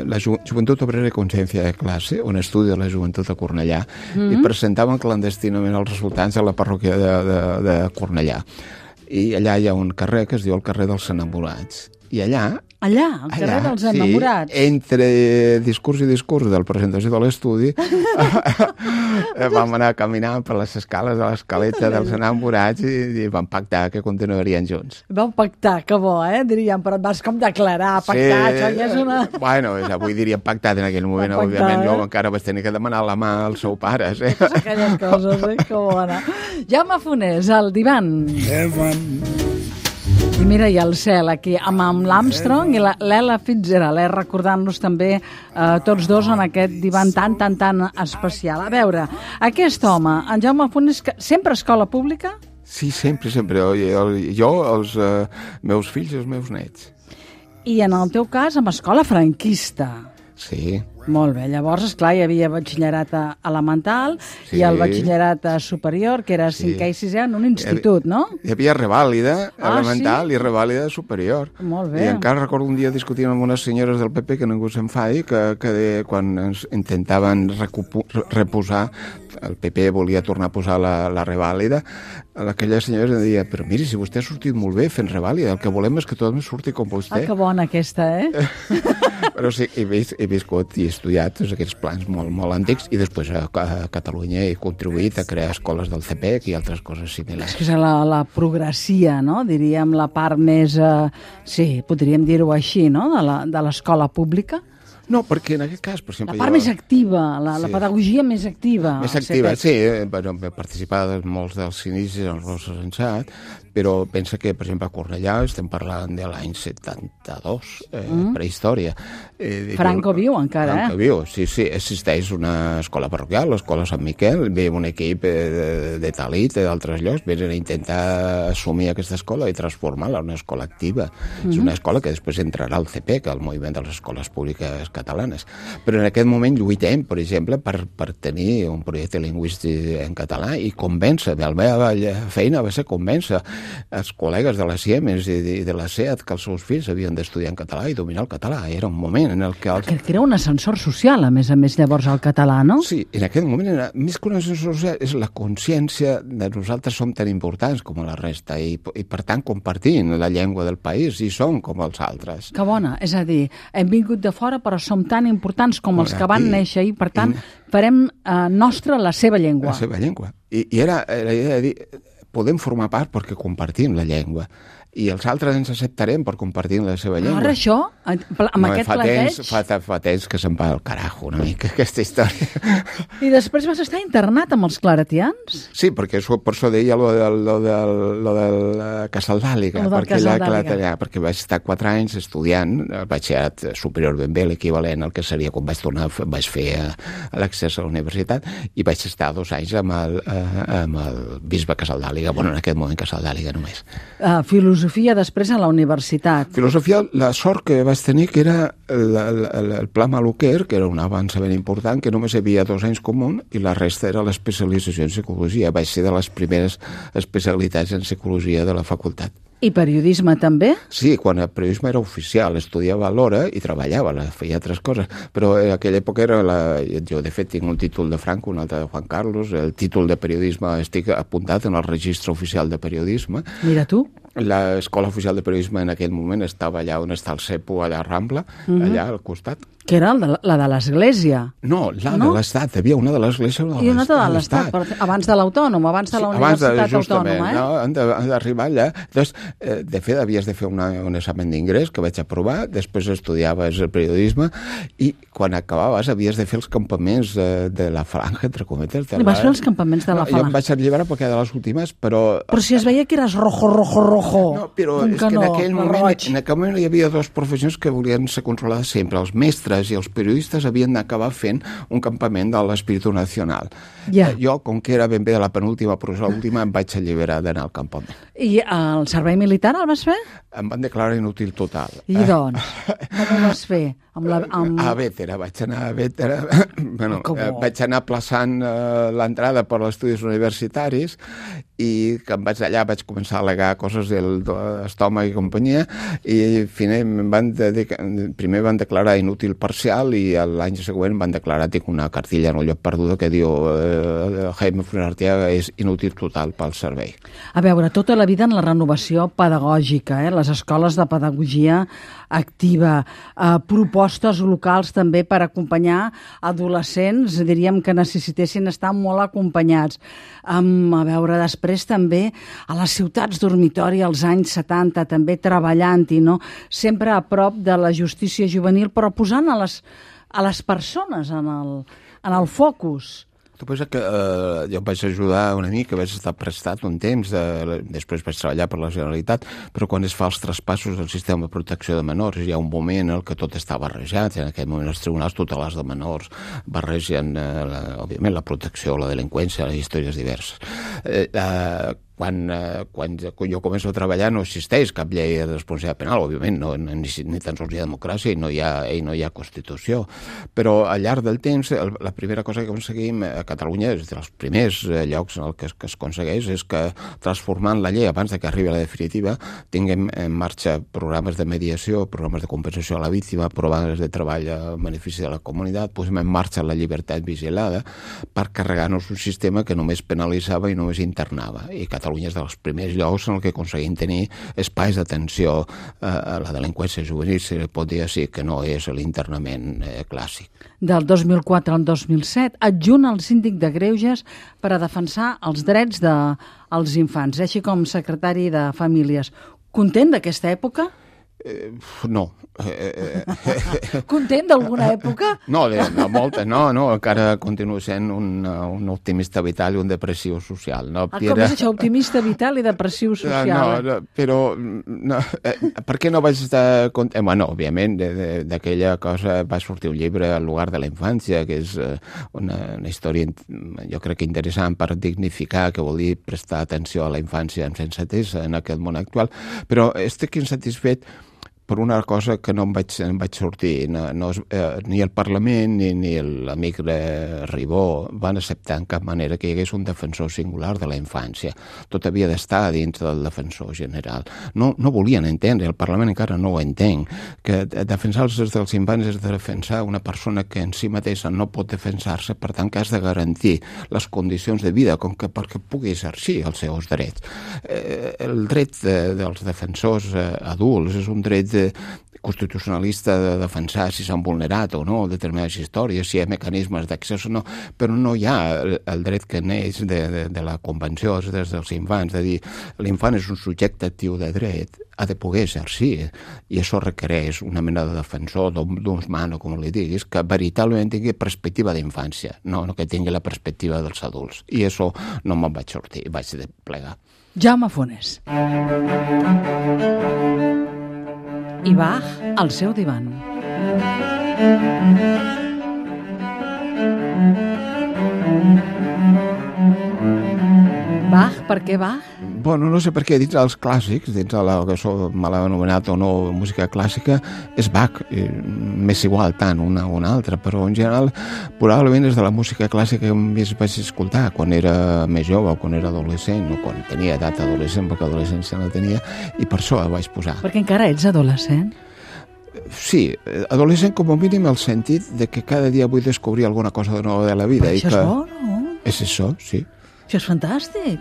la Joventut Obrera i Consciència de Classe, un estudi de la joventut a Cornellà, i presentaven clandestinament els resultats a la parròquia de Cornellà. I allà hi ha un carrer que es diu el carrer dels Enamorats. I allà, al carrer dels Enamorats. Sí, entre discurs i discurs de la presentació de l'estudi, vam anar caminant per les escales de l'escaleta dels Enamorats i vam pactar que continuarien junts. Vau pactar, que bo, diríem, però et vas com declarar, pactar, això ja és una... Bueno, avui diríem pactat en aquell moment, òbviament, jo encara vaig tenir que demanar la mà als seus pares. Aquelles coses, que bona. Jaume Fonés, el divan. I mira, i el cel aquí, amb l'Armstrong i l'Ella Fitzgerald, recordant-nos també tots dos en aquest divan tan especial. A veure, aquest home, en Jaume Fonés, sempre escola pública? Sí, sempre. Jo, els meus fills i els meus nets. I en el teu cas, amb escola franquista. Sí. Molt bé, llavors, esclar, hi havia batxillerat elemental i el batxillerat superior, que era 5è i 6è en un institut, no? Hi havia revàlida elemental i revàlida superior. Molt bé. I encara recordo un dia discutint amb unes senyores del PP, que ningú s'enfadi, que quan ens intentaven reposar, el PP volia tornar a posar la revàlida, aquella senyora deia, però miri, si vostè ha sortit molt bé fent revàlida, el que volem és que tothom surti com vostè. Que bona aquesta, Però sí, he viscut i he estudiat tots aquests plans molt antics i després a Catalunya he contribuït a crear escoles del CPEC i altres coses similars. És la progressia, no? Diríem la part més, sí, podríem dir-ho així, no? De l'escola pública. No, perquè en aquest cas, per exemple... La part més activa, la pedagogia més activa. Més activa, sí. He participat en molts dels inicis en el Rosa Sensat, però pensa que, per exemple, a Cornellà estem parlant de l'any 72, prehistòria. Franco viu encara, Franco viu, sí. Existeix una escola parroquial, l'escola Sant Miquel, ve un equip de Talit, d'altres llocs, venen a intentar assumir aquesta escola i transformar-la en una escola activa. És una escola que després entrarà al CPEC, al moviment de les escoles públiques catalanes. Però en aquest moment lluitem, per exemple, per tenir un projecte lingüístic en català i convèncer. La meva feina va ser convèncer els col·legues de la Siemens i de la SEAT que els seus fills havien d'estudiar en català i dominar el català. Era un moment en el que... Que era un ascensor social, a més, llavors, el català, no? Sí, en aquest moment, més que un ascensor social, és la consciència de nosaltres som tan importants com la resta i per tant, compartint la llengua del país i som com els altres. Que bona, és a dir, hem vingut de fora però som tan importants com els que van néixer i, per tant, farem nostra la seva llengua. La seva llengua. I era la idea de dir... podem formar part perquè compartim la llengua i els altres ens acceptarem per compartir la seva llengua. Ara això, amb aquest planteig... Fa temps que se'n va al carajo una mica aquesta història. I després vas estar internat amb els claretians? Sí, perquè per això deia lo del Casal d'Àliga. Perquè vaig estar 4 anys estudiant, el batxillerat superior ben bé, l'equivalent al que seria quan vaig fer l'accés a la universitat, i vaig estar 2 anys amb el bisbe Casal d'Àliga, bueno, en aquest moment Casal d'Àliga només. Filosofia després a la universitat. Filosofia, la sort que vaig tenir que era el Pla Maluquer, que era un avanç ben important, que només hi havia 2 anys común i la resta era l'especialització en psicologia. Vaig ser de les primeres especialitats en psicologia de la facultat. I periodisme també? Sí, quan el periodisme era oficial, estudiava a l'hora i treballava, feia altres coses, però en aquella època jo de fet tinc un títol de Franco, un altre de Juan Carlos, el títol de periodisme estic apuntat en el registre oficial de periodisme. Mira tu. L'escola oficial de periodisme en aquell moment estava allà on està el CEPO, allà a Rambla, allà al costat. Que era la de l'Església. No, de l'Estat. Hi havia una de l'Església i una de l'Estat. Abans de l'Autònom, abans de la Universitat Autònoma. Han d'arribar allà. Llavors, de fet, havies de fer un examen d'ingrés que vaig aprovar, després estudiaves el periodisme i quan acabaves havies de fer els campaments de la Falange, entre cometes. I vas fer els campaments de la Falange? Jo em vaig alliberar perquè era de les últimes, però... Però si es veia que eres rojo, Ojo, però un és que canó, en aquell roig. moment hi havia dues professions que volien ser controlades sempre. Els mestres i els periodistes havien d'acabar fent un campament de l'espíritu nacional. Ja. Jo, com que era ben bé de la penúltima, però l'última, em vaig alliberar d'anar al campament. I el servei militar el vas fer? Em van declarar inútil total. I doncs, com ho vas fer? A Bétera, vaig anar a Bétera. Bueno, vaig anar plaçant l'entrada per als estudis universitaris i que em vaig allà, vaig començar a al·legar coses de l'estómac i companyia i primer van declarar inútil parcial i l'any següent van declarar, tinc una cartilla en el lloc perduda que diu Jaime Funes Arteaga és inútil total pel servei. A veure, tota la vida en la renovació pedagògica, les escoles de pedagogia activa, propostes locals també per acompanyar adolescents, diríem que necessitessin estar molt acompanyats. A veure, després també a les ciutats dormitori als anys 70, també treballant-hi, no? Sempre a prop de la justícia juvenil, però posant a les persones en el focus. Tu pensa que jo em vaig ajudar una mica, vaig estar prestat un temps, després vaig treballar per la Generalitat, però quan es fa els traspassos del sistema de protecció de menors hi ha un moment en què tot està barrejat, en aquell moment els tribunals tutelars de menors barregen, òbviament, la protecció, la delinqüència, les històries diverses. Quan jo començo a treballar no existeix cap llei de responsabilitat penal, òbviament, ni tan sols hi ha democràcia i no hi ha Constitució. Però al llarg del temps, la primera cosa que aconseguim a Catalunya, és dels primers llocs en què es aconsegueix, és que transformant la llei abans que arribi a la definitiva, tinguem en marxa programes de mediació, programes de compensació a la víctima, programes de treball a benefici de la comunitat, posem en marxa la llibertat vigilada per carregar-nos un sistema que només penalitzava i només internava. I Catalunya és dels primers llocs en què aconseguim tenir espais d'atenció a la delinqüència juvenil, si pot dir així, que no és l'internament clàssic. Del 2004 al 2007, adjunt al síndic de Greuges per a defensar els drets dels infants, així com secretari de Famílies. Content d'aquesta època? No. Content d'alguna època? No, molta, no, encara continuo sent un optimista vital i un depressiu social. No, com és això, optimista vital i depressiu social? No, però per què no vaig estar content? Bueno, òbviament, d'aquella cosa va sortir un llibre, El lugar de la infància, que és una història, jo crec que interessant per dignificar, que vol dir prestar atenció a la infància amb sensatesa en aquest món actual, però estic insatisfet per una cosa que no em vaig sortir. Ni el Parlament ni l'amic Ribó van acceptar en cap manera que hi hagués un defensor singular de la infància. Tot havia d'estar dins del defensor general. No volien entendre, el Parlament encara no ho entenc, que defensar els drets dels infants és de defensar una persona que en si mateixa no pot defensar-se, per tant que has de garantir les condicions de vida perquè pugui exercir els seus drets. El dret dels defensors adults és un dret constitucionalista de defensar si s'han vulnerat o no determinades històries, si hi ha mecanismes d'accés o no, però no hi ha el dret que neix de la Convenció dels Drets dels Infants, de dir, l'infant és un subjecte actiu de dret, ha de poder exercir, i això requereix una mena de defensor, d'un mano, com li diguis, que veritablement tingui perspectiva d'infància, no que tingui la perspectiva dels adults. I això no me'n vaig sortir, vaig de plegar. Jaume Funes. I Bach al seu divan. Bach, per què Bach? Bueno, no sé per què, dins dels clàssics, dins de la que me l'ha anomenat o no música clàssica, és Bach. M'és igual tant una o una altra, però en general probablement és de la música clàssica que més vaig escoltar quan era més jove o quan era adolescent o quan tenia edat adolescent, perquè adolescència no tenia, i per això el vaig posar. Perquè encara ets adolescent? Sí, adolescent com a mínim el sentit de que cada dia vull descobrir alguna cosa de nova de la vida. Però això és bo, no? És això, sí. Això és fantàstic.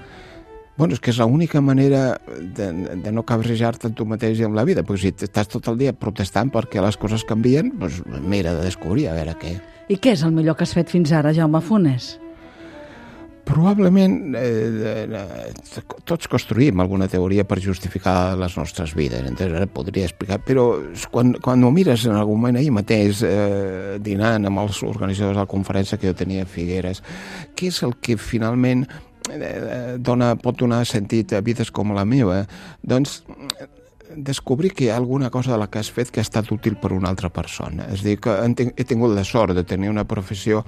Bueno, és que és l'única manera de no cabrejar-te en tu mateix i amb la vida, perquè si estàs tot el dia protestant perquè les coses canvien, doncs m'era de descobrir a veure què. I què és el millor que has fet fins ara, Jaume Funes? Probablement tots construïm alguna teoria per justificar les nostres vides, entonces ara podria explicar, però quan ho mires en algun moment ahir mateix dinant amb els organitzadors de la conferència que jo tenia a Figueres, què és el que finalment pot donar sentit a vides com la meva, doncs descobrir que hi ha alguna cosa de la que has fet que ha estat útil per una altra persona. És a dir, que he tingut la sort de tenir una professió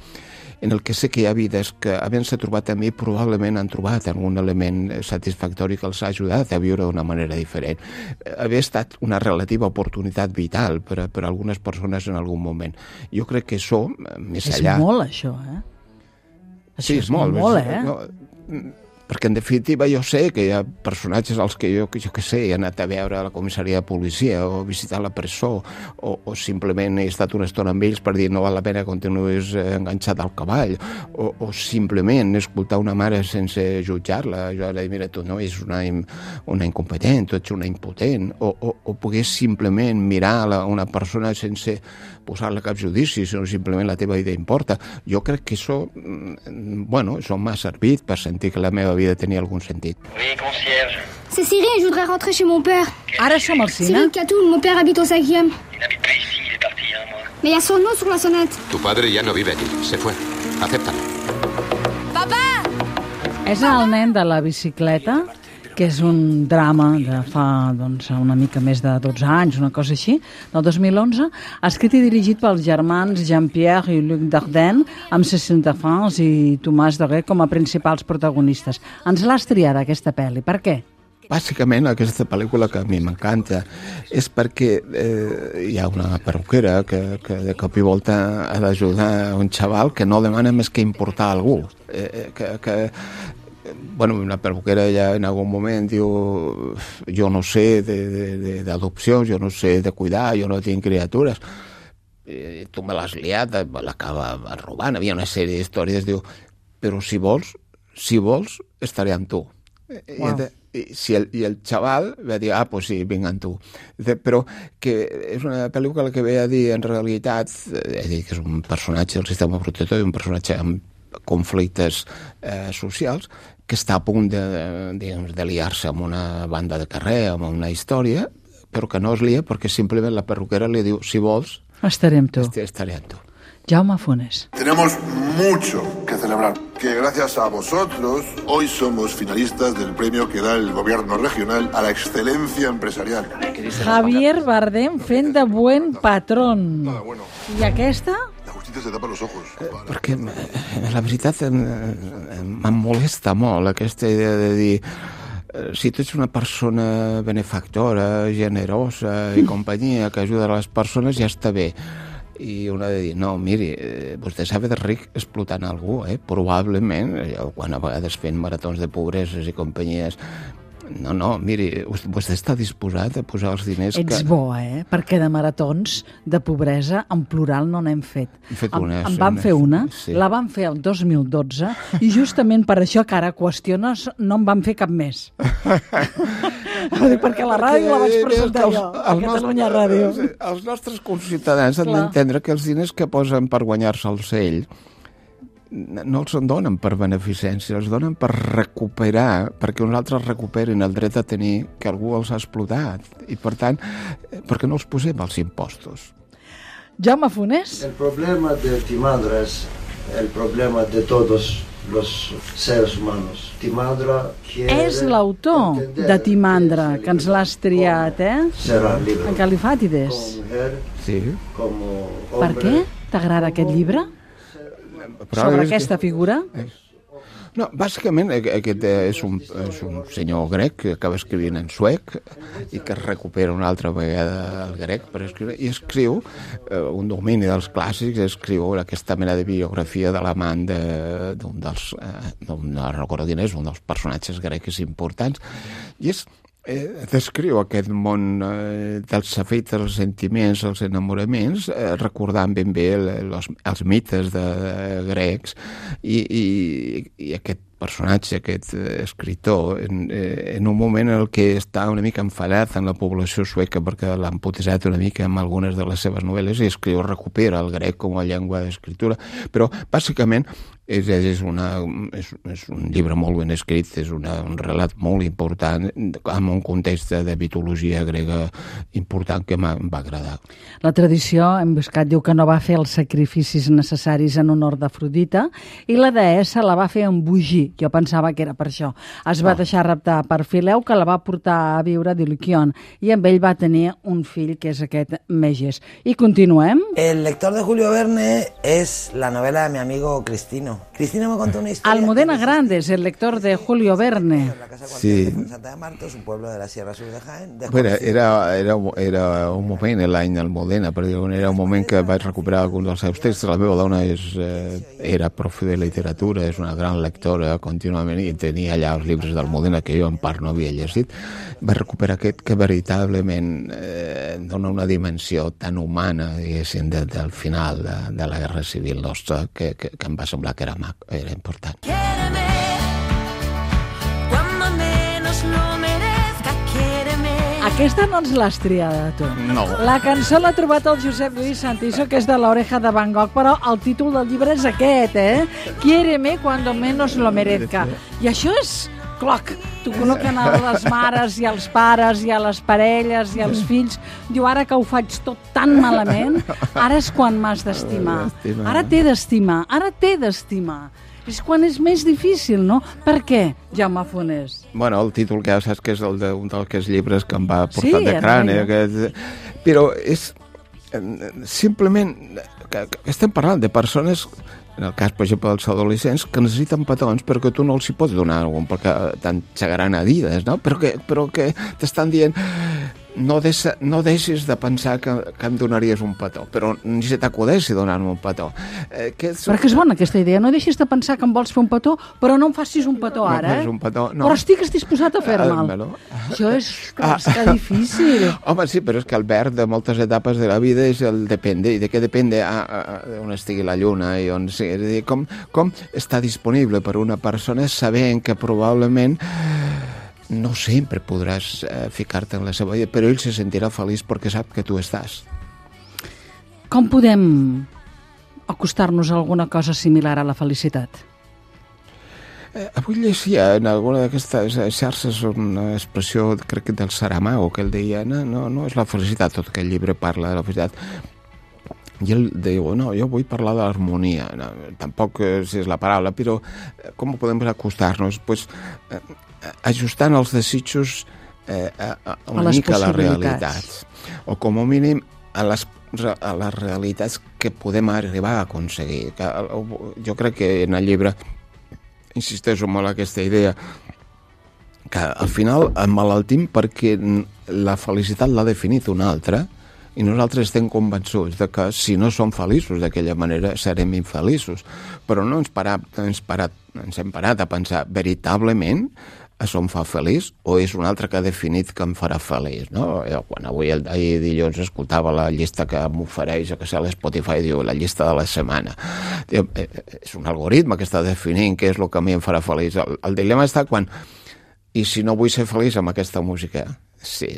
en el que sé que hi ha vides que, havent-se trobat a mi, probablement han trobat algun element satisfactori que els ha ajudat a viure d'una manera diferent. Havia estat una relativa oportunitat vital per a algunes persones en algun moment. Jo crec que això, més allà... És molt, això, Sí, és molt. Perquè, en definitiva, jo sé que hi ha personatges als que jo que sé, he anat a veure a la comissaria de policia o visitar la presó o simplement he estat una estona amb ells per dir no val la pena que continuïs enganxat al cavall o simplement escoltar una mare sense jutjar-la. Jo ara mira, tu no ets una incompetent, tu ets una impotent, o pogués simplement mirar una persona sense posar-la cap judici, sinó simplement la teva vida importa. Jo crec que això, això m'ha servit per sentir que la meva vida tenia algun sentit. Oui, concierge. C'est Cyril, je voudrais rentrer chez mon père. Ara som al cine. Cyril Catoul, mon père habite au 5e. Il n'habite pas ici, il est parti il y a un mois. Mais il y a son nom sur la sonnette. Tu padre ya no vive aquí, se fue. Acéptalo. Papa! És el nen de la bicicleta, que és un drama de fa una mica més de 12 anys, una cosa així, del 2011, escrit i dirigit pels germans Jean-Pierre i Luc Dardenne, amb Cécile Defrance i Tomàs Doguet com a principals protagonistes. Ens l'has triada, aquesta pel·li. Per què? Bàsicament, aquesta pel·lícula que a mi m'encanta és perquè hi ha una perruquera que de cop i volta ha d'ajudar un xaval que no demana més que importar a algú. Una perruquera ja en algun moment diu jo no sé d'adopció, jo no sé de cuidar, jo no tinc criatures. Tu me l'has liat, l'acaba robant. Havia una sèrie d'històries, diu, però si vols, estaré amb tu. Wow. I el xaval va dir, pues sí, vinc amb tu. Però que és una pel·lícula que ve a dir, en realitat, que és un personatge del sistema protector i un personatge amb conflictes socials, que està a punt de liar-se amb una banda de carrer, amb una història, però que no es lia perquè simplement la perruquera li diu, si vols, estaré amb tu. Estaré amb tu. Jaume Funes. Tenemos mucho que celebrar, que gracias a vosotros hoy somos finalistas del premio que da el gobierno regional a la excelencia empresarial. Javier Bardem fent de buen patrón. I aquesta? Se tapa los ojos. Perquè la veritat em molesta molt aquesta idea de dir si tu ets una persona benefactora, generosa i companyia que ajuda a les persones ja està bé. I un ha de dir, no, miri, vostè s'ha fet ric explotant algú, probablement, quan a vegades fent maratons de pobreses i companyies. No, miri, vostè està disposat a posar els diners que... Ets bo, perquè de maratons de pobresa en plural no n'hem fet. En vam fer una, sí. La vam fer el 2012 i justament per això que ara qüestiones no en vam fer cap més. Perquè la ràdio la vaig presentar jo, a Catalunya Ràdio. Els nostres conciutadans han d'entendre que els diners que posen per guanyar-se el cell no els en donen per beneficència, els donen per recuperar, perquè uns altres recuperin el dret a tenir que algú els ha explotat. I, per tant, perquè no els posem els impostos. Jaume Funes. El problema de Timandra es el problema de todos los seres humanos. Timandra és l'autor de Timandra, que ens l'has triat, En Califàtides. Sí. Per què t'agrada aquest llibre? Sobre aquesta figura? No, bàsicament aquest és un senyor grec que acaba escrivint en suec i que recupera una altra vegada el grec per escriure, i escriu un domini dels clàssics, escriu aquesta mena de biografia de l'amant d'un dels, no recordo quin és, un dels personatges grecs importants, i descriu aquest món dels afectes, els sentiments, els enamoraments, recordant ben bé els mites grecs i aquest personatge, aquest escriptor, en un moment en què està una mica enfadat en la població sueca perquè l'han putejat una mica amb algunes de les seves novel·les i recupera el grec com a llengua d'escriptura, però bàsicament És un llibre molt ben escrit, és un relat molt important, amb un context de mitologia grega important que m'va agradar. La tradició, hem buscat, diu que no va fer els sacrificis necessaris en honor d'Afrodita i la deessa la va fer embogir. Jo pensava que era per això. Es va deixar raptar per Fileu, que la va portar a viure a Diliquion, i amb ell va tenir un fill, que és aquest Meges. I continuem. El lector de Julio Verne es la novela de mi amigo Cristino. Cristino me contó una historia. Almudena Grandes, el lector de Julio Verne. Sí. Santa de Martos, un pueblo de la Sierra Sur de Jaén. Bueno, era un moment, l'any d'Almudena, perquè era un moment que vaig recuperar alguns dels seus textos. La meva dona era profe de literatura, és una gran lectora contínuament, i tenia allà els llibres d'Almudena que jo en part no havia llegit. Vaig recuperar aquest que veritablement dona una dimensió tan humana, diguéssim, del final de la Guerra Civil nostra, que em va semblar que era important. Aquesta no ens l'has triada, tu. No. La cançó l'ha trobat el Josep Lluís Santiso, que és de l'Oreja de Van Gogh, però el títol del llibre és aquest, Quiéreme cuando menos lo merezca. I això és cloc. T'ho col·loquen a les mares i als pares i a les parelles i als fills. Diu, ara que ho faig tot tan malament, ara és quan m'has d'estimar. Ara t'he d'estimar. És quan és més difícil, no? Per què, Jaume Fonés? Bueno, el títol que ja saps que és un d'aquests llibres que em va portar de crani. Però és simplement que estem parlant de persones, en el cas, per exemple, dels adolescents, que necessiten petons perquè tu no els hi pots donar algun, perquè te'n xagaran Adidas, no? Però que t'estan dient no deixis de pensar que em donaries un petó, però ni se t'acudeixi donar-me un petó. Perquè és bona aquesta idea, no deixis de pensar que em vols fer un petó, però no em facis un petó ara, un petó, no. Però estigues disposat a fer-me'l. Això és que difícil. Home, sí, però és que el verb de moltes etapes de la vida és el depende, i de què depende on estigui la lluna, i on sigui. És a dir, com està disponible per una persona sabent que probablement no sempre podràs ficar-te en la seva vida, però ell se sentirà feliç perquè sap que tu estàs. Com podem acostar-nos a alguna cosa similar a la felicitat? Avui llegia en alguna d'aquestes xarxes una expressió, crec que del Saramago, que ell deia, no és la felicitat, tot aquest llibre parla de la felicitat. I ell diu, no, jo vull parlar de l'harmonia, tampoc si és la paraula, però com podem acostar-nos? Doncs ajustant els desitjos una mica a les realitats, o com a mínim a les realitats que podem arribar a aconseguir. Jo crec que en el llibre insisteixo molt en aquesta idea que al final emmalaltim perquè la felicitat l'ha definit una altra i nosaltres estem convençuts de que si no som feliços d'aquella manera serem infeliços, però no ens hem parat a pensar veritablement això em fa feliç o és un altre que ha definit que em farà feliç, no? Quan ahir dilluns escoltava la llista que m'ofereix que sé l'Spotify, diu la llista de la setmana. És un algoritme que està definint què és el que a mi em farà feliç. El dilema està quan i si no vull ser feliç amb aquesta música, sí,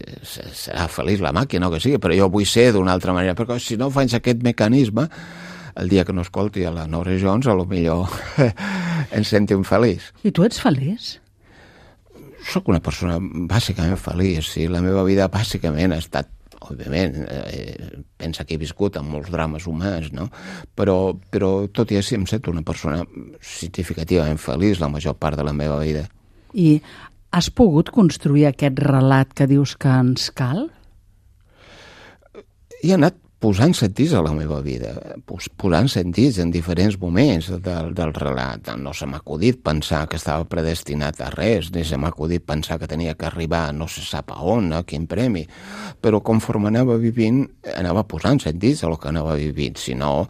serà feliç la màquina o que sigui, però jo vull ser d'una altra manera, perquè si no faig aquest mecanisme, el dia que no escolti a la Norah Jones, potser em sento infeliç. I tu ets feliç? Soc una persona bàsicament feliç, sí. La meva vida bàsicament ha estat, òbviament, pensa que he viscut amb molts drames humans, no? Però tot i així em sento una persona significativament feliç la major part de la meva vida. I has pogut construir aquest relat que dius que ens cal? He anat posant sentits a la meva vida, posant sentits en diferents moments del relat. No se m'ha acudit pensar que estava predestinat a res, ni se m'ha acudit pensar que tenia que arribar no se sap a on, a quin premi, però conforme anava vivint, anava posant sentits a el que anava vivint. Si no,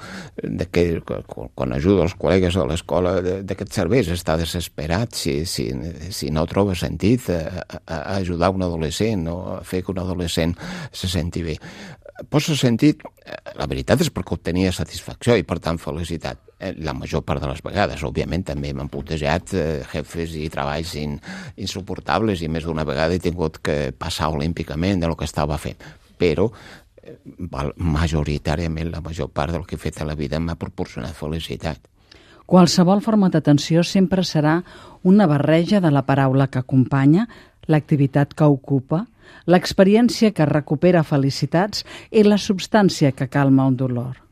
quan ajudo els col·legues a l'escola d'aquests serveis, està desesperat si no troba sentit a ajudar un adolescent o a fer que un adolescent se senti bé. Posa sentit, la veritat és perquè obtenia satisfacció i per tant felicitat. La major part de les vegades, òbviament, també m'han puntejat jefes i treballs insuportables i més d'una vegada he tingut que passar olímpicament del que estava fent. Però majoritàriament la major part del que he fet a la vida m'ha proporcionat felicitat. Qualsevol forma d'atenció sempre serà una barreja de la paraula que acompanya, l'activitat que ocupa, l'experiència que recupera felicitats i la substància que calma un dolor.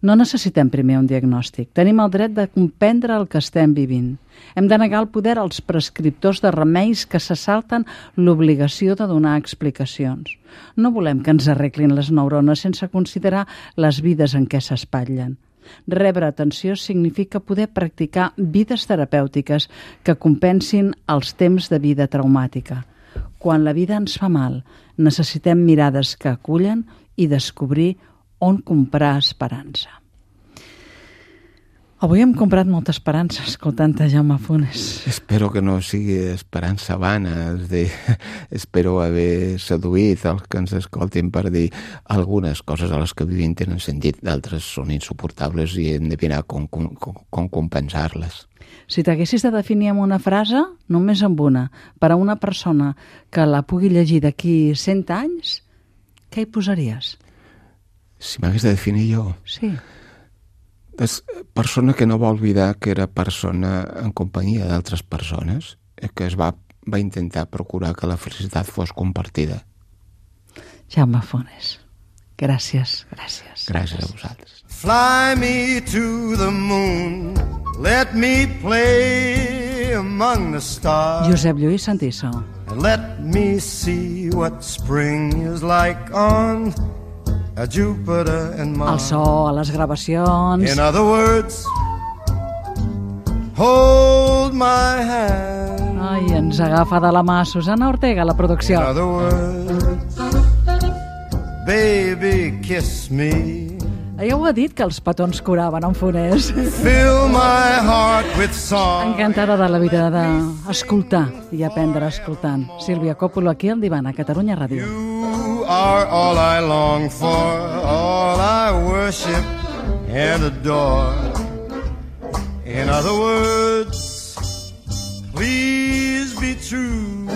No necessitem primer un diagnòstic. Tenim el dret de comprendre el que estem vivint. Hem de negar el poder als prescriptors de remeis que se salten l'obligació de donar explicacions. No volem que ens arreglin les neurones sense considerar les vides en què s'espatllen. Rebre atenció significa poder practicar vides terapèutiques que compensin els temps de vida traumàtica. Quan la vida ens fa mal, necessitem mirades que acullen i descobrir on comprar esperança. Avui hem comprat molta esperança escoltant Jaume Funes. Espero que no sigui esperança vana, espero haver seduït els que ens escoltin per dir algunes coses a les que vivim tenen sentit, d'altres són insuportables i hem de mirar com compensar-les. Si t'haguessis de definir amb una frase, només amb una, per a una persona que la pugui llegir d'aquí 100 anys, què hi posaries? Si m'hagués de definir jo? Sí. És persona que no va oblidar que era persona en companyia d'altres persones, que es va intentar procurar que la felicitat fos compartida. Jaume Funes, gràcies. Gràcies a vosaltres. Fly me to the moon, let me play among the stars. Josep Lluís Santiso. And let me see what spring is like on a Jupiter and Mars. El so a les gravacions. In other words, hold my hand. Ai, ens agafa de la mà Susana Ortega, la producció. In other words, baby, kiss me. Ja ho ha dit que els petons curaven en Funes. Fill my heart with song. Encantada de la vida d'escoltar i aprendre escoltant. Sílvia Coppolo aquí al Divan a Catalunya Ràdio. You are all I long for, all I worship and adore. In other words, please be true.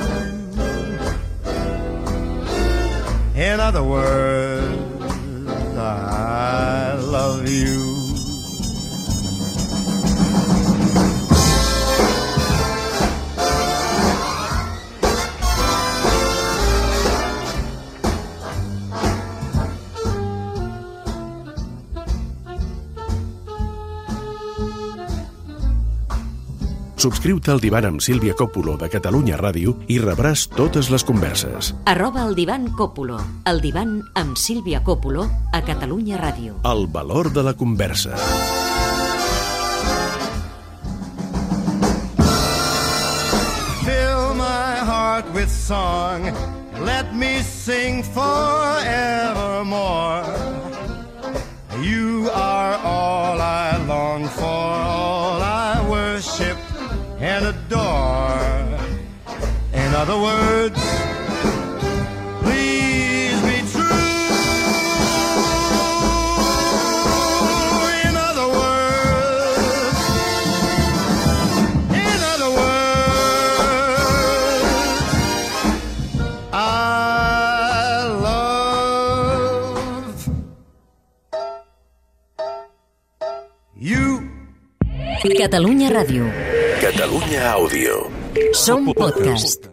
In other words, I love you. Subscriu-te al Divan amb Sílvia Coppolo de Catalunya Ràdio i rebràs totes les converses. @el Divan Coppolo. El Divan amb Sílvia Coppolo a Catalunya Ràdio. El valor de la conversa. Fill my heart with song, let me sing forevermore. You are all I long for, all I worship and adore. In other words, please be true. In other words, I love you. Catalunya Ràdio. Catalunya Àudio. Som podcast.